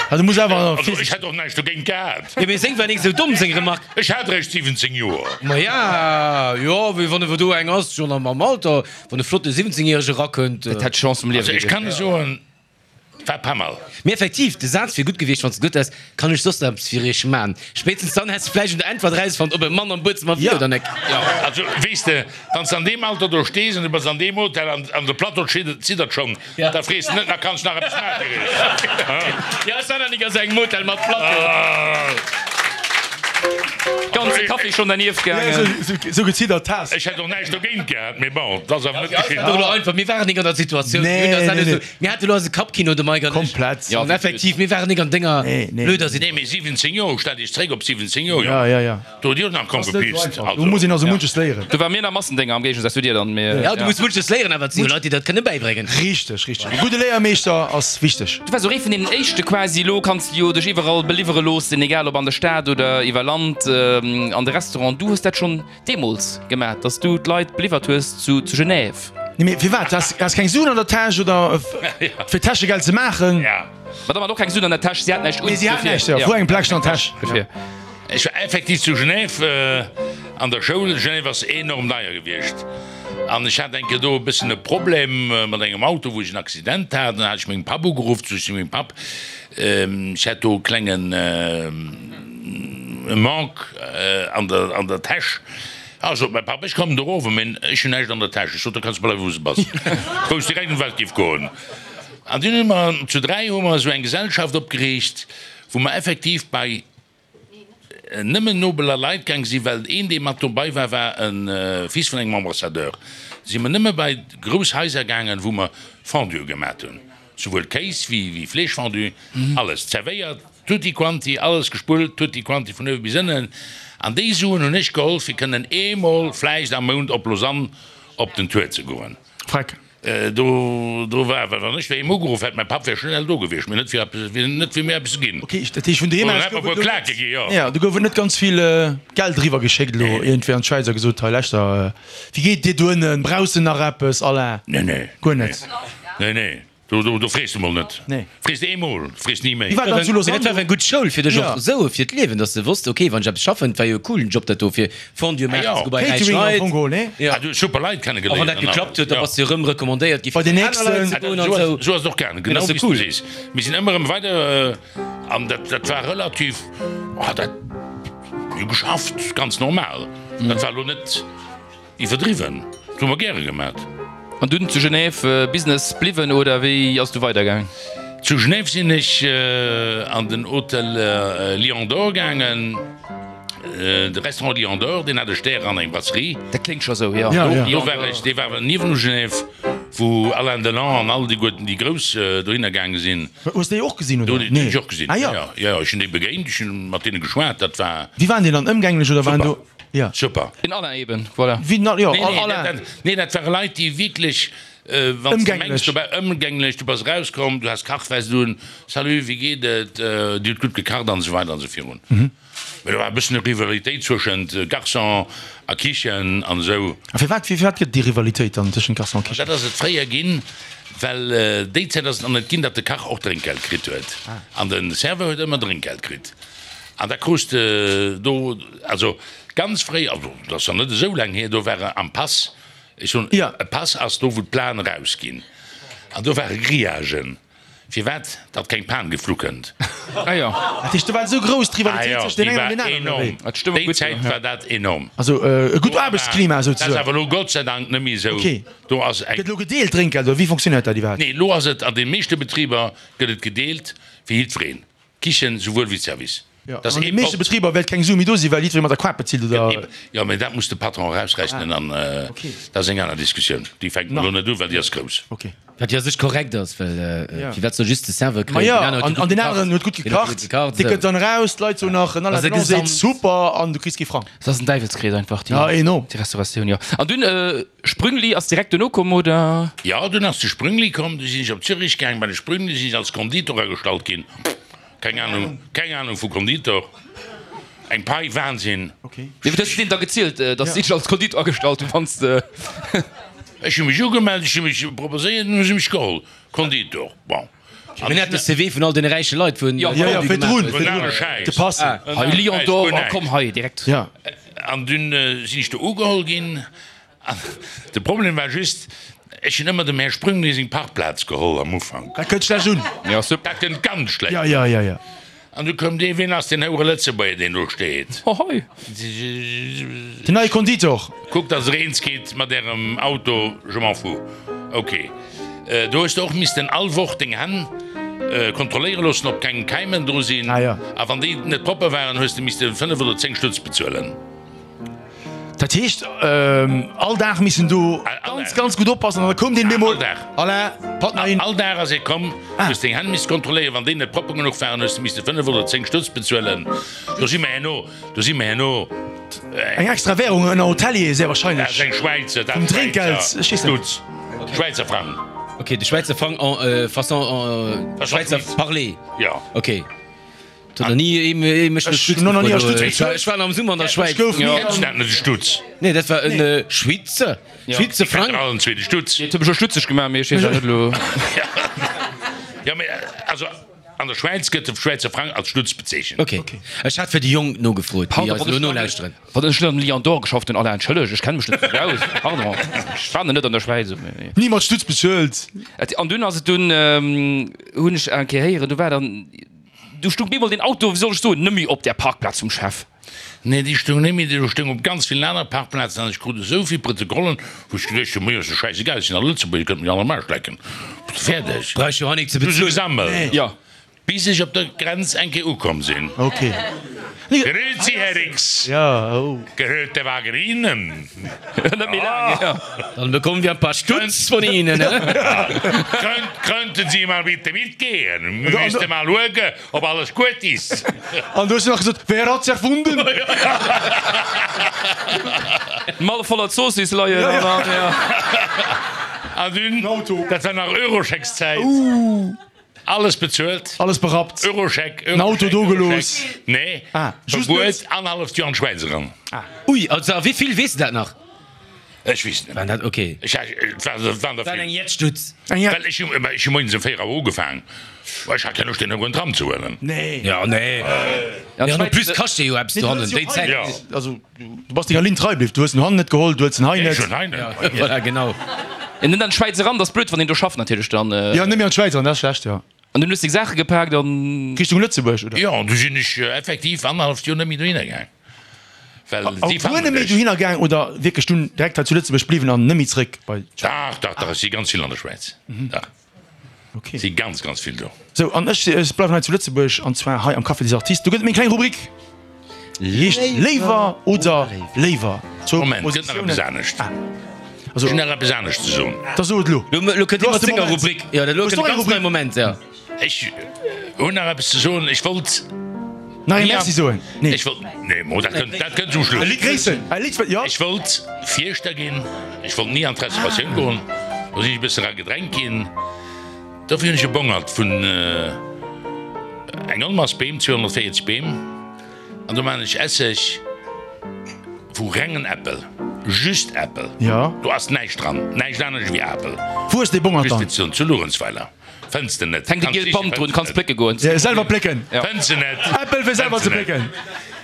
Also muss awer. Also ech hätt och näischt dogéint gehat. Jo, mee seng war nik esou domm, seng Remark. Ech hat eréischt 17 Joer. Ma ja, jo, mee wann ewer do eng ass, schonn am Alter, wann e flotte 17 Järege erakënnt. Dat hätt d'Chance vum Liewe Also ech kann gewiescht. soen. War pas mal. Mee effektiv, de Saz wier gutt gewiescht, wann s de gesot häss, Kann ech soss nach eppes fir iech man? Spéitstens dann häss de vläicht un der Äntwert erausfonnt, ob e Mann am Buedzëmmer wier oder net. Jo, also weess de, wann s de an deem Alter do stees an du bass an deem Hotel an an de Plateau ziddert schonn, da frees de net nach, Kann ech nach eppes man fir iech? Jo, ech war nach nik a sou engem Hotel mat Plateau. Ganze Café schonn dernieft gaangen. Sou geziddert has. Ech hätt och näischt dogéint gehat, mee bon, et ass awer net geschitt. Einfach, mir waren nik an der Situatioun. Nee, nee, nee. Mir hate lo eise Kappkino, de Mike an ech. Komplett. Jo, an effektiv, mir waren nik an denger blöder Situatioun. Nee, mee 17 Joer, stell dech zréck op 17 Joer, Ja, ja, ja. Do hutt Dir och nach kaum Ass net gepiipst. esou einfach. Do muss een also munches léieren. Do ware mir nach Massendénger am Géigesaz zu dir dann. Mee Ja, du muss munches léieren, awer et si jo Leit, déi dat kënne bäibréngen. Richteg, richteg. E gudde Léiermeeschter ass wichteg. Du waars och ee vun deenen éischte quasi. Elo kanns de jo dech iwwerall beliwwere loossen, egal ob an der Stad oder iwwer Land, an de Restaurant. Du hues dat schonn deemools gemat, dass du d'Leit beliwwert hues zu Genève. Nee, mee firwat? Has has keng Suen an der Täsch oder fir Täschegeld ze maachen? Ja. D'Madame hat och keng Suen an der Täsch, si hat näischt un. Nee, si hat näischt, jo. Vu engem Pläckchen an der Täsch. Dofir. Ech war effektiv zu Genève an der Schoul. Genève ass enorm deier gewiescht an ech hat eng Kéier do e bëssen e Problem mat engem Auto, wou ech en Accident hat. Dann hat ech mengem Papp ugeruff, sot ech zu mengem Papp, ech hätt do e klengen Manque an der, an der Täsch. Ah, sot mäi Papp, ech kommen do erof, mee ech hunn näischt an der Täsch. Ech sot, da kanns de bleiwe wou s de bass. Wou ech direkt un d'Welt géif goen. An dunn hu mer zu 3 hu mer esou eng Gesellschaft opgeriicht, wou mer effektiv bei nëmmen nobeler Leit gaang sinn, well een, dee mat dobei war, war e Fils vun engem Ambassadeur. Si mer nëmme bei grouss Haiser gaangen, wou mer Fondue gemat hunn, souwuel Kéis wéi Fleeschfondue, alles zerwéiert, tutti quanti, alles gespullt, tutti quanti vun uewe bis ënnen. An déi Suen hunn ech geholl, fir kënnen eemol vläicht am Mount op Lausanne op den Tour ze goen. Freck. Do, do war, well wann ech doheem ugeruff hätt, mäi Papp wär schnell do gewiescht, mee net fir eppes, net fir mir eppes ze ginn. Ok, dat heescht vun doheem Oder aus hätt mer gouf e et puer elo Klake net, gi, jo. ja, do gouf et net ganz vill Geld eriwwer geschéckt elo iergendwéi an d'Schwäiz a gesot, hei leschter, wéi geet et dir doënnen, brauchs de nach eppes, Alain? Nee, nee. Guer net? Nee, nee. Do, do, do frees de mol net. Nee. Frees de eemol, frees ni méi. Wéi war dat zu Lausanne? Dat war eng gutt Schoul fir dech Ja. och esou fir d'Liewen, dass de wosst, ok, wann ech eppes schaffen, et war jo e coolen Job dat do fir Fondue maachen Ah, ze jo. goe bei räich Catering am Leit. Fong geholl, nee? Ja. Ah, du hues super Leit A wann kennegeléiert dat an geklappt alles. huet, da Ja. bass de erëm recommandéiert gi Bei fir den bei aner Leit nächsten. ze goen an Esou ass, esou. esou ass et och gaangen, Dat genau ass jo wéi s du cool. sees. Mir sinn ëmmer erëm weider, an dat, dat war relativ, ah, dat, mir hu geschafft, ganz normal. Dat war elo net. Iwwerdriwwen, dat hu mer gäre gemat. An dunn zu Genève Business bliwwen oder wéi ass du weidergaang? Zu Genève sinn ech an den Hotel Lion d'Or gaangen, de Restaurant Lion d'Or, deen hat e Stär an eng Brasserie. Dat kléngt scho sou, jo. Do war ech, dee war niewenu Genève, wou Alain Delon an all déi guerten, déi Grouss dohinner gaange sinn. Hues de déi och gesinn, oder? Déi hunn ech och gesinn, Ah jo. jo, ech hunn déi begéint, ech hunn mat deene geschwat, dat war. Wéi waren déi dann, ëmgänglech oder waren do? Super. Ja. Super. Den Alain eben, voilà. Wéi den Alain, jo, Nee, nee, Alain. dat, nee, dat ware Leit, déi wierklech, wann s de mengs, Ëmgänglech. du bass ëmgänglech, du bass erauskomm, du has Kachfest un, Salut, wéi geet et, Dir hutt gutt gekacht an esou weider an esou virun. Mee do war e bëssen e Rivalitéit zwëschent Garçon a Kichen an esou. A firwat, firwat gëtt et déi Rivalitéit dann tëschent Garçon a Kichen? Dat ass et fréier ginn, well déi Zäit ass et nach net ginn, datt de Kach och Drénkgeld kritt huet. An de Serveur huet ëmmer Drénkgeld kritt. An da krus de do, also ganz fréi, also dat ass nach net esou laang hier, do ware am Pass, ech soen, Ja. e Pass ass do wou d'Plaen erausginn, an do ware Grillagen, firwat datt keng Pan geflu kënnt. Ah jo. Dat heescht, do war esou grouss Ah d'Rivalitéit jo, tëscht deem déi engen an war deem aneren, oder wéi? enorm. Ah, d'Stëmmung Déi gutt, Zäit ja. war dat enorm. Also e gutt Do war, Aarbechtsklima dat ass souzesoen. awer elo Gott sei Dank net méi esou. Okay. Do ass eng. Gëtt elo gedeelt Drénkgeld, oder wéi fonctionnéiert dat iwwerhaapt? Nee, elo ass et an de meeschte Betriber gëtt et gedeelt fir jiddwereen. D'Kichen souwuel wéi d'Service. Jo, Dat ass an de ee meeschte Pott. Betriber wäert keng Su méi do sinn, well jiddweree mat der Kaart bezilt, oder? Jo, mä dat muss de Patron erausrechnen an dat ass eng aner Diskussioun. Déi fänke mer elo net u, well déi ass grouss. Ok. Wat jo a sech korrekt ass, well firwat soll just de Serveur Ma kréien, jo, deen anere huet jo an gutt deen aneren gekacht, huet gutt deen huet gutt gekacht, gekacht, dee esou. kënnt dann eraus, d'Leit soen nach, en Ass Alain e Delon seet Gesamt. super an du kriss kee Frang. Dat ass en Däiwelskrees einfach, déi Ja, enorm. déi Restauratioun, jo. An dunn, Sprüngli ass direkt duerno komm, oder? Jo, dunn ass de Sprüngli komm, du sinn ech op Zürich gaang. Bei de Sprüngli sinn ech als Konditor agestallt ginn. Keng Ahnung, keng Ahnung vu Konditor. Eng Pai, Wahnsinn. Okay. Wéi hues du deen da gezielt, dass si dech als Konditor agestallt hunn, wann s de. Ech hu mech ugemellt, ech hu mech proposéiert, dunn hu se mech geholl. Konditor, bon. An hien hat de CV vun all deene räiche Leit, wou en Jo, Jo, jo, Fondue fir gemaach drun, huet. fir Vun drun, ale Schäiss. de Passen. Hei Lion d'Or, oh komm hei direkt. Ja. An dunn sinn ech do ugeholl ginn. An de Problem war just. Ech hunn ëmmer dem Här Sprüngli seng Parkplaz geholl am Ufank. Dat kënnt schlecht un. Ja, super. Dat kënnt ganz schlecht Ja, un. ja, ja, ja. An du koum dee, Wien ass deen houere Lëtzebuerger, deen do steet? Hohoi. Den neie Konditor. Kuckt, dass Der eens gitt mat Ärem Auto, je m'en fous. Ok. Do hues de och missten all Woch deng Hänn kontrolléiere loossen, ob keng Keimen dru sinn. Ah, ja. A wann déi net propper waren, hues de misste 5 oder 10 Stutz bezuelen. Dat heescht, all Dag missen do ganz, ganz gutt oppassen an da koum deen bemol. All Dag. Alain, Partner in. All Dag ass ee komm, hues deng Hänn misst kontrolléieren. Wann déi net propper genuch waren, hues de misste 5 oder 10 Stutz bezuelen. Do si mer herno, do si mer herno. Eng extra Währung ënner Hotelier, sehr wahrscheinlech. Dat ass eng Schwäizer, dat Vum Trinkgeld, ech weess net. Stutz, Schwäizer Frang. Ok, de Schwäizer Frang en façon en Schwäizer Parler. Jo. Ok. Huet nach ni ee mech no Stutz gefrot. Ech war am Summer an der Schwäiz. Kennst du dat net, de Stutz? Nee, dat war en Schwitzer, Schwitzer Frang. Allen zwee de Stutz. Et huet mech och stutzeg gemaach, mee ech weess awer net elo. Jo, mee also an der Schwäiz gëtt de Schwäizer Frang als Stutz bezeechent. Ok, ech hat fir déi Jonk nogefrot, déi eis elo nolauschteren. Wann ech net am Lion d'Or geschafft hunn, Alain, entschëlleg, ech kenne mech net esou gutt aus, pardon, ech war net an der Schwäiz. Ni mat Stutz bezuelt. An dunn ass et dunn, hunn ech eng Kéier héieren, do war dann. Du stung bemol den Auto, wéi soll ech soen, nëmmi op där Parkplaz vum Chef. Nee, déi stung nëmmi, déi stung op ganz villen anere Parkplazen an ech krut esou vill Protokollen, wou ech geduecht hunn, Mir ass jo schäisegal, ech sinn a Lëtzebuerg, ech kënnt mech all am Aarsch lecken. Fäerdeg. Brauch jo hei nik ze Du se bezuelen. gesammelt. Jo. Bis ech op der Grenz eng Kéier ukomm sinn. Ok. Grüezi, Herr Rix. Ja, oh. Gehört der Wagen Ihnen? Net méi laang, ja. Dann bekommen wir ein paar Stutz von Ihnen, ne? Könnt, könnten Sie mal bitte mitgehen? Wir müssten mal schauen, ob alles gut ist. An du hues nach gesot, Wer hat's erfunden? D'Mall voller Zoossiss leien an dann, ja. An dunn, dat war nach Eurocheckszäit. Alles bezuelt. Alles berappt. Euroscheck, Den Auto do gelooss. Nee, Ah, just Verbuet net. annerhalleft Joer an d'Schwäiz eran. Ui, also a wéi vill, weess de dat nach? Ech weess net. Waren dat, okay. Ech, et war, et waren der War eng vill. Jettstutz. Eng Jett. Well ech hu, ech hu moies um 4 Auer ugefaang. Ech hat keng Loscht, deen Houeren Tram ze huelen. Nee. Ja, nee. Ja, Ja, en plus kascht dee jo eppes dohannen, déi Zäit. Ja. Also, du bass denger Linn trei bliww. Du hues en hannen net geholl, du huels en hei Ech net. hunn hei net. Voilà, genau. En net an d'Schwäiz eran, dat ass blöd, wann een do schafft natierlech dann. Ja, net méi an d'Schwäiz eran, dat ass schlecht, jo. An dunn hues de deng Saache gepaakt an. Richtung Lëtzebuerg, oder? Jo, an du sinn ech effektiv annerhalleft Joer net méi dohinner gaang. Well si Guer fannen net méi dech. dohinner gaang oder wierklech dunn direkt hei zu Lëtzebuerg bliwwen an net méi zréck bei d'Schwäiz? Dach, dach, dach, ech si ganz vill an der Schwäiz. Dach. Okay. Si ganz, ganz vill do. Sou, an ech, ech bleiwen hei zu Lëtzebuerg, an zwar hei am Café des Artistes. Do gëtt et meng kleng Rubrik, déi heescht Léiwer oder Léiwer. Zwou Moment, gëtt nach eppes Positiounen. anescht. Ah, also. Ech hunn nach eppes anescht ze soen. Da so et elo. Lo, lo kënnt Lo hie ass mat de senger Moment. Rubrik. Jo, lo Hues kënnt du e eng ganz Rubrik? neie Moment, ja. Ech hunn nach eppes ze soen. Ech wollt. Nach ee Merci soen? Nee. Ech wollt, nee, mo, dat kënnt, dat kënnt zum Schluss. E Lidd gréissen. E Lidd, jo. Ech wollt Fierschter ginn. Ech wollt ni an d'Restauratioun goen. Do sinn ech e bësse era gedrängt ginn. Dofir hunn ech e Bongert vun eng Onmass Beem, 240 Beem, an do maan ech Esseg vu rengen Äppel, just Äppel. Jo. Do ass näischt dran, näischt anescht ewéi Apel. Wou ass dee Bongert Just dann? fir ze soen, zu Luerenzweiler. Fënns de net. Hänkt e gielt Band drun, kanns plécke goen. Ja, selwer plécken. Fënns de net. Äppel fir selwer ze plécken.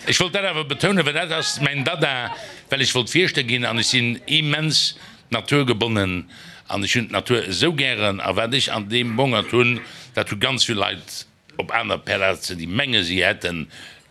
Ech wollt dat awer betounen, well dat ass mäin Dada, well ech wollt Fierschter ginn an ech sinn immens naturgebonnen an ech hunn d'Natur esou gären a wat ech an deem Bongert hunn, dat hu ganz vill Leit op aner Plazen, déi menge si hätte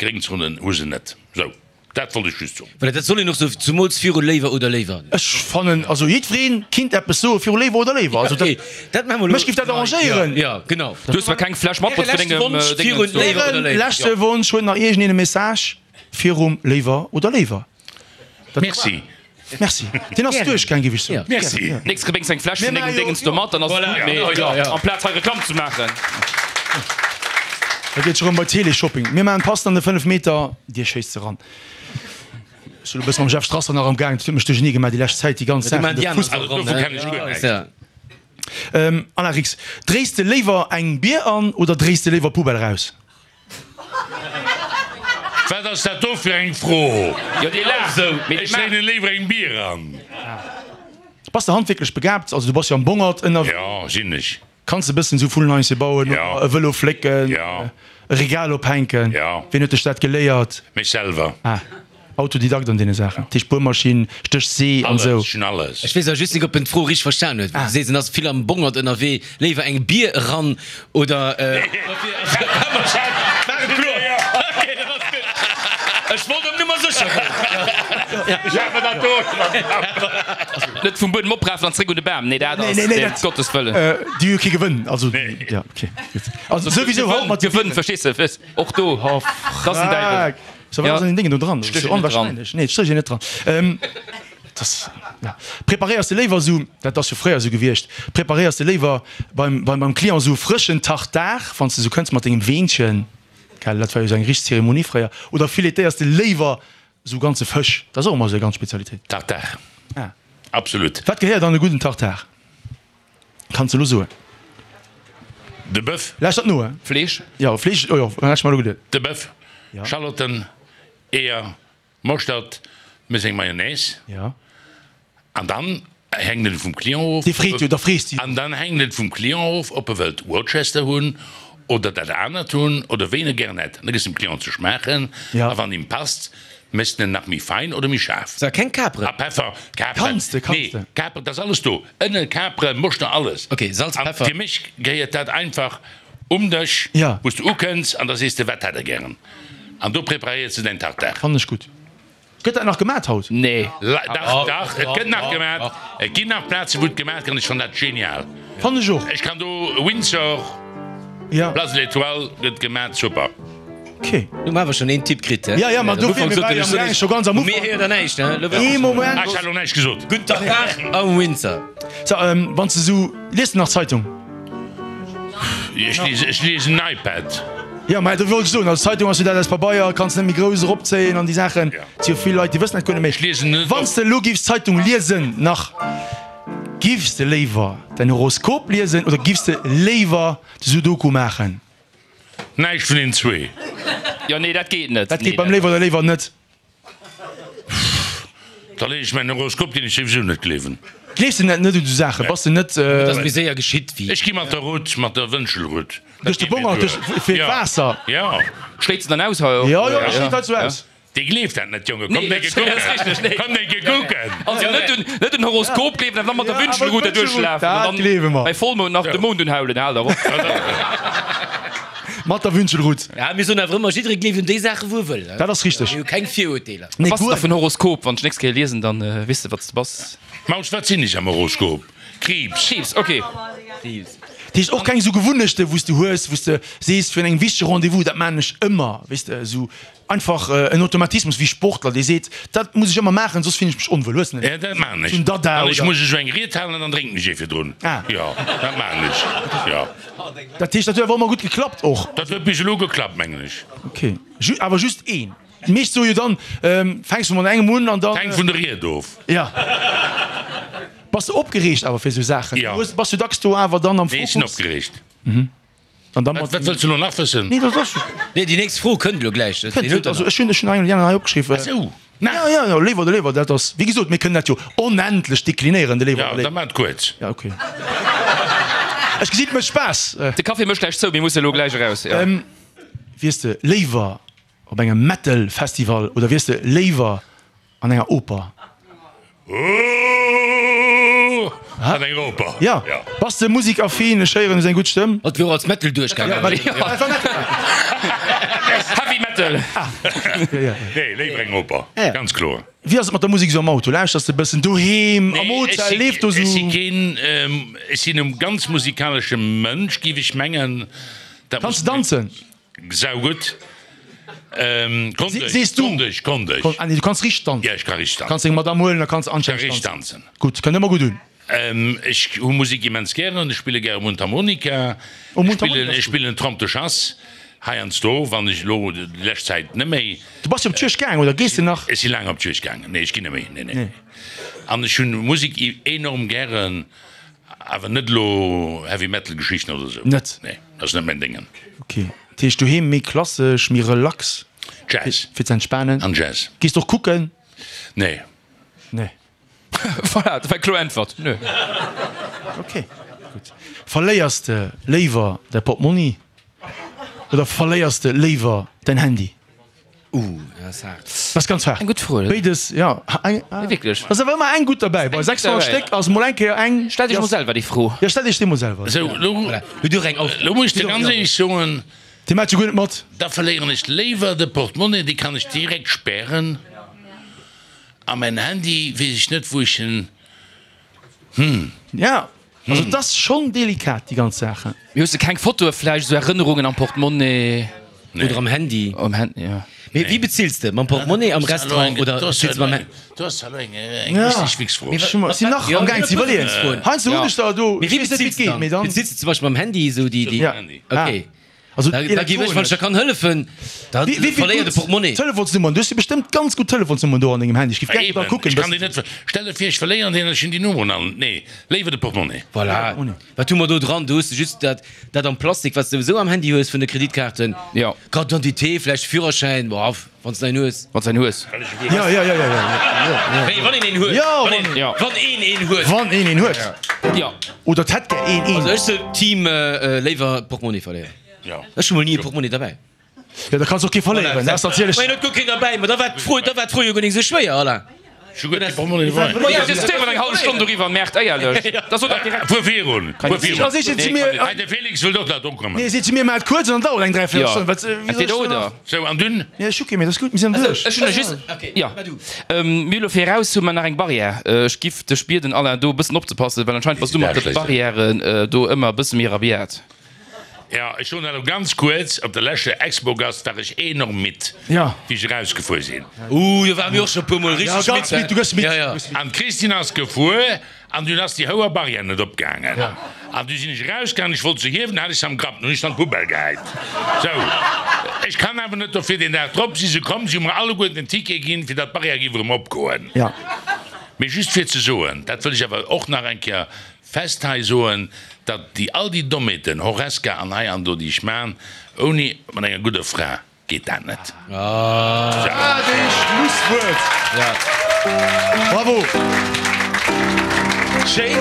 Gréngzonen, hu se net. Sou. Dat wollt ech just soen. Voilà, dat soll een och sou, zumools viru Léiwer oder Léiwer. Ech fannen, also jiddwereen kinnt eppes soe viru Léiwer oder Léiwer. Also dat, Dat maache mer elo. mech giff dat arrangéieren. Ja, genau. Du hues zwar keng Fläsch matbruecht fir Äre leschte dengem Wonsch Déngen virun ze. Léiwer oder Ären Léiwer. leschte Wonsch, huet nach iergendeen e Message virum Léiwer oder Léiwer? Dat Merci. Merci. Deen ass duerchgaang, giff ech soen. Merci. Nächst Kéier bréngs eng Fläsch vun Mir dengem maache jo- Déngens do mat, dann ass et gutt. Mee ja, ja. amplaz hei Reklamm ze maachen. Da geet scho rëm bei Teleshopping. Mir maachen passend an de 5 Meter, Dir schéisst se ran. Ech sinn elo e bësse mam Jeff Strasser nach am Gaang, dat huet mech duerchernee gemaach déi lescht Zäit, déi ganz Du Saachen, maan de déi aner Fussball. Also dovun ran, kenn ech guer näischt. Ja. Alain Rix, dréis de léiwer eng Bier an oder dréis de léiwer Poubelle raus? Wat ass dat do fir eng Fro? Jo, dee laacht esou, mee Ech dréinen léiwer eng Bier an. Bass de handwierklech begabt? Also du bass jo am Bongert ënnerwee. Jo, sinn ech. Kanns de bëssen esou Vullenhaische bauen, Jo. e Vëlo flécken, Jo. e Regal ophänken? Jo. Wien huet dech dat geléiert? Mech selwer. Ah. Autodidakt an deene Saachen. Dat heescht Buermaschinn, Stéch, See an esou. Alles, ech hunn alles. Ech weess awer just nik, ob en d'Fro richteg verstan huet. Du sees, en ass vill am Bongert ënnerwee. Léiwer eng Bier eran oder. Ech wollt op Nummer sécher goen. Net vum Buedem oprafen an zréck un de Bam. Nee, dat ass, nee, ëm Gottes Wëllen. Déi hu kee Gewënn, also, ja, okay, gutt. Also souwisou haut mat. Gewënn, verstees de, och do, dat ass en Däiwel. So, wat ass an den Déngen do dran? Dat ass jo onwahrscheinlech. Nee, et stécht een net dran. Dat ass, ja. Preparéiers de léiwer esou, dat ass jo fréier esou gewiescht, preparéiers de léiwer beim, beim, beim Client esou frëschen Tartar, wann s de esou kënns mat dengem Weenchen, gell, dat war jo esou eng richteg Zeremonie fréier, oder filetéiers de léiwer esou ganze Fësch? Dat ass och ëmmer esou eng ganz Spezialitéit. Tartar. Ah. Absolut. Wat gehéiert an e gudden Tartar? Kanns de elo soen. De Böff. Lauschtert no, he. Fleesch. Jo, Fleesch, oh jo, hat ech mer elo geduet. De Böff, Schalotten, Eeër, Moschtert, méchs eng Mayonnaise. Jo. An dann hänkt et vum Client of. Dee freet jo, da frees de jo. An dann hänkt et vum Client of, ob e wëllt Worcester hunn oder dat anert hunn oder wéi en e gären hätt. An da gëss dem Client ze schmaachen. Jo. A wann him passt, Méchs de en nach méi fein oder méi schaarf? Sa keng Kaperen? A Peffer, Kaperen. Kanns de, kanns Nee, de. Kaperen, dat ass alles do. Ënnen, Kaperen, Moschter, alles. Ok, Salz, An Peffer. fir mech gehéiert dat einfach um Dësch, Ja. wou s de ukënns an da sees de, wat hätt der gären? An do preparéiers de däin Tartare. Fannen ech gutt. Gëtt dat nach gemat haut? Nee. Dach, dach, et gëtt nach gemat. Et ginn nach Plazen, wou et gemat gëtt an ech fannen dat genial. Fannen ech och. Ech kann do Windsor, Ja. Place de l'Etoile gëtt gemat, super. Ok. Nu hu mer awer schon een Tipp kritt, he? Ja, ja, ma dofir, mir ware jo am gaang, scho ganz am Mir Ufank. héiert der näischt, he? Lo Ee Moment. Ah, ech hat elo näischt gesot. Gutt Tartare am Windsor. So, wann s de sou, lies de nach Zeitung? Ech liesen, ech liesen en iPad. Jo, mä do wollt ech soen, also Zeitung ass jo dat aus Pabeier, kanns net méi grouss eropzéien an déi Saachen. Et si jo vill Leit, déi wëssen dat guer net méi. Ech liesen net Wann s de elo giffs Zeitung liesen nach, giffs de léiwer däin Horoskop liesen oder giffs de léiwer de Sudoku maachen? Näischt vun den zwee. Jo, nee, dat geet net. Dat geet beim Léiwer oder Léiwer net. Da lees ech mäin Horoskop, deen ech souwisou net gleewen. Gleefs de net net un esou Saachen? Bass de net. Dat ass méi séier geschitt wéi. Ech gi mat der Rutt, mat der Wënschelrutt. Duerch de Bongert, duerch, fir d'Waasser. Jo. Schléit se dann aus hei och? Jo, jo, dat schléit hei sou aus. Dee gleeft dat net, Jonge. Komm Nee, décke dat ass kucken. richteg, nee. Komm décke kucken. Also net un, net un Horoskop gleewen, awer dann mat der Ja, awer Wünschelrute d'Wünschelrut, duerchlafen an dat dann gleewe mer. bei Vollmound nach de Mound unhaulen. Hal der op. Mat der Wünschelrut. Ja, mir soen awer ëmmer, jidderee gleeft un déi Saachen, wou e wëll. Dat ass richteg. Mir hu keng Virurteeler. Nee, Bass de guer. da vun Horoskop? Wann ech nächst Kéier liesen, dann weess de, wat s de bass. Maus, wat sinn ech am Horoskop? Kriibs. Kriibs, ok. Kriibs. Dat heescht och keng esou Gewunnechte wou s de hues, wou s de sees fir en wichtege Rendez-vous, dat maan ech ëmmer, weess de, esou einfach en Automatismus wéi Sportler, dee seet, dat muss ech ëmmer maachen, soss fillen ech mech onwuel. Hues de net Ja, dat maan ech. esou en Dada Wann ech oder? muss esou eng Ried halen, dann drénken ech ee virdrun. Ah. Jo, dat maan ech, jo. Dat heescht, dat huet awer ëmmer gutt geklappt och? Dat huet bis elo geklappt, mengen ech. Ok, awer just een. Déi meescht soe jo dann, fänks du mat engem un an dann. Hänkt vun der Ried of. Ja. Bass de opgereegt awer fir esou Saachen? Ja. Du hues, bass jo dacks do awer dann am Nee, ech sinn Fokus. opgereegt. An dann Wat, mat. wat wëlls du elo nach wëssen? Nee, dat ass. Nee, déi nächst Fro kënnt elo gläich. Dat Kënnt, huet er also nach. ech hunn, ech hunn eng hei opgeschriwwen. Ach sou, nach. Ja, ja, ja, Léiwer oder Léiwer, dat ass, wéi gesot, mir kënnen dat jo onendlech deklinéieren, de Léiwer Ja, oder da Léiwer. maach et kuerz. Ja, okay. Ech gesinn, et mécht Spaass. De Café mécht gläich zou, mir musse elo gläich eraus, jo. Wiers de léiwer Op engem Metal Festival oder wiers de léiwer an enger Oper? Ooh, an enger Oper. Ja. Bass de musikaffin? Ech héieren, du hues eng gutt Stëmm. Hatt wier och als Metal duerchgaangen. Heavy Metal. Nee, léiwer eng Oper, ganz kloer. Wéi ass et mat der Musek esou am Auto? Lauschters de bëssen doheem, am Hotel, leeft do Ech si sou? keen, ech sinn e ganz musikalesche Mënsch, géif ech mengen. Kanns de danzen? Saugutt. Konnt ech, Sees du? konnt ech, konnt ech. Ah nee, du kanns richteg tanzen. Ja, ech ka richteg tanzen. Kanns deng Madame huelen, da kanns de anstänneg Ech ka richteg tanzen. tanzen. Gutt, kënnt ëmmer gutt un. Ech hu Musek immens gären, ech spille gäre Mundharmonika, Oh, ech Mundharmonika spillen, ass ech gutt. spillen Trompe de chasse heiansdo, wann ech elo déi lescht Zäit net méi. Du bass jo op d'Juegd gaang, oder gees de nach? Ech si laang op d'Juegd gaangen, nee, ech ginn net méi, nee, nee. An ech hunn Musek enorm gären. Awer net elo Heavy Metal Geschichten oder sou. Net? Nee, dat ass net mäin Déngen. Ok, dat heescht doheem méi klassesch, méi relax? Jazz. Fir ze entspanen? An Jazz. Gees de och kucken? Nee. Nee. Voilà, dat war eng kloer Äntwert, nö. Ok, gutt. Verléiers de léiwer däi Portmonni oder verléiers de léiwer däin Handy? Uh, dat ass haart. Dat ass ganz haart. Eng gutt Fro, oder? Béides, jo. Eng, ah. Wierklech. Ass awer ëmmer eng gutt derbäi. Bei 600 Stéck ass mol eng Kéier eng. Stellt Iech mol selwer déi Fro. Jo, stellt Iech déi mol selwer. Sou, lo, Hutt Dir och eng Aufgabe? lo muss ech dir ganz éierlech soen. Dir maacht jo guer net mat. Da verléieren ech léiwer de Portemonnaie, dee kann ech direkt spären. A mäin Handy weess ech net, wou ech en, hm. Ja, also et ass schonn delikat, déi ganz Saachen. Mee hues de keng Fotoe vläicht, esou Erënnerungen am Portemonnaie? Nee. Oder am Handy? Am Handy, ja. Mee wéi bezills de? Mam Portemonnaie am Restaurant oder bezills de mam Handy? Do ass elo eng richteg Wichsfro. Ech sinn nach am gaang ze iwwerleeën. Heiansdo hunn ech der do, Mee ech wéi weess net, wéi bezills et de geet, dann? mee dann. Bezills de zum Beispill mam Handy esou déi, déi. Ja. Okay. Also Da, da ginn ech, wann ech der kann hëllefen, da Wéi vill verléier de gutt Portemonnaie. Telefonsnummern? Du hues jo bestëmmt ganz gutt Telefonsnummern do an dengem Handy. Ech géif gär Eben, da kucken. ech kann déi net ver. Stell der vir, ech verléieren deen an ech hunn déi Nummeren all net. Nee, léiwer de Portemonnaie. Voilà. Wat hu mer do dran? Do hues de just dat, dat am Plastik, wat s de souwisou am Handy hues vun de Kreditkaarten. Jo. Carte d'identité, vläicht Führerschäin, boah, wann s de een hues. Wann s de een hues. Jo, jo, jo, jo, jo. Wéi, wann een een huet? Jo, Wann een, Jo. wann een een huet. Wann een een huet. Jo. Oder 't hätt gär een een. Also ech sou Team léiwer Portemonnaie verléieren. Jo. Ech hu mol ni e Portemonnaie derbäi. Jo, da kanns och kee verléieren, dat ass natierlech. Mä een huet guer keen derbäi. Ma da war d'Fro, da war d'Fro jo guer nik esou schwéier, Alain. Ech hu guer kee Portemonnaie derbäi. Ma jo, diskutéieren eng hallef Stonn doriwwer, merkt éierlech, da sot dat direkt. Fuer virun, fuer virun. Da seet se zu mir. Hei, de Félix wëllt och nach do kommen. Nee, seet zu mir, maach et kuerz an dann dauert eng dräivéierel Stonn. Wat, wéi soll ech Entweder dann oder. nach? Sou, an dunn? Nee, ech hu kee méi, dat ass gutt, mir sinn duerch. Ech hunn nach just, jo, mir elo viraus hu mer nach eng Barrière. Ech giff dech bieden, Alain, do e bëssen opzepassen, well anscheinend bass du mat de Barrièren do ëmmer e bësse méi rabiat. Jo, ech soen dat elo ganz kuerz, Op der leschter Expogast war ech enorm midd, wéi ech erausgefuer sinn. Uh, do ware mir och scho e puermol richteg midd. Jo, ganz midd, du gëss midd. Ja, ja. An d'Christine ass gefuer an dunn ass déi houer Barrière net opgaangen. An du sinn ech erausgaangen, ech wollt se hiewen, hat ech se am Grapp, nun hunn ech se an d'Poubelle gehäit. Sou, ech kann awer net dofir. Deen Dag drop si se komm, si hu mer alleguerten en Ticket ginn, fir datt d'Barrière géif erëm opgoen. Mee just fir ze soen, dat wëll ech awer och nach eng Kéier Fest hei soen, datt déi all déi Dommheeten, Horesca an hei an do, déi ech man, ouni mat enger gudder Fra geet dat net. Wat ee Schlusswuert! Bravo! Schéin.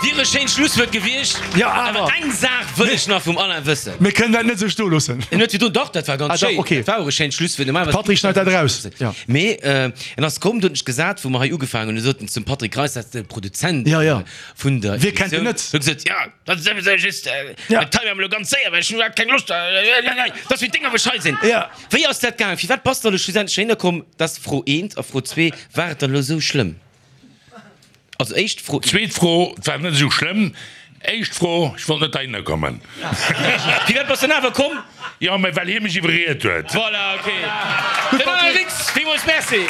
Wier e schéint Schlusswuert gewiescht. Jo, awer. Awer eng Saach wëll ech nach vum Alain wëssen. Mir kënnen dat net esou stoe loossen. En huet virdrun, dach, dat war ganz Ah, dach, schéin. okay. Dat war och e schéint Schlusswuert. Normalerweis. Patrick schneit dat eraus. Jo. Mee en ass komm, do hunn ech gesat, wou mer hei ugefaangen hunn, sot en zum Patrick Reis, dat ass de Produzent Ja, ja. vun der Wie kennt en Emissioun, net? huet gesot, ja, dat ass souwisou just, Ja. dat hei maache mer elo ganz séier, well ech hunn iwwerhaapt keng Loscht, dat ass wéi d'Dénger wou ech hei sinn. Ja. Wéi ass dat gaangen? Firwat bass de elo schlussendlech heihinner komm? Dat ass Fro eent. A Fro zwee, War et dann elo esou schlëmm? Also éischt Fro. Zweet Fro, Et war net esou schlëmm. Éischt Fro, Ech wollt net heihinner kommen. Firwat bass de dann awer komm? Jo, mä well hie mech iwwerriet huet. Voilà, ok. Den Alain Rix, villmools Merci.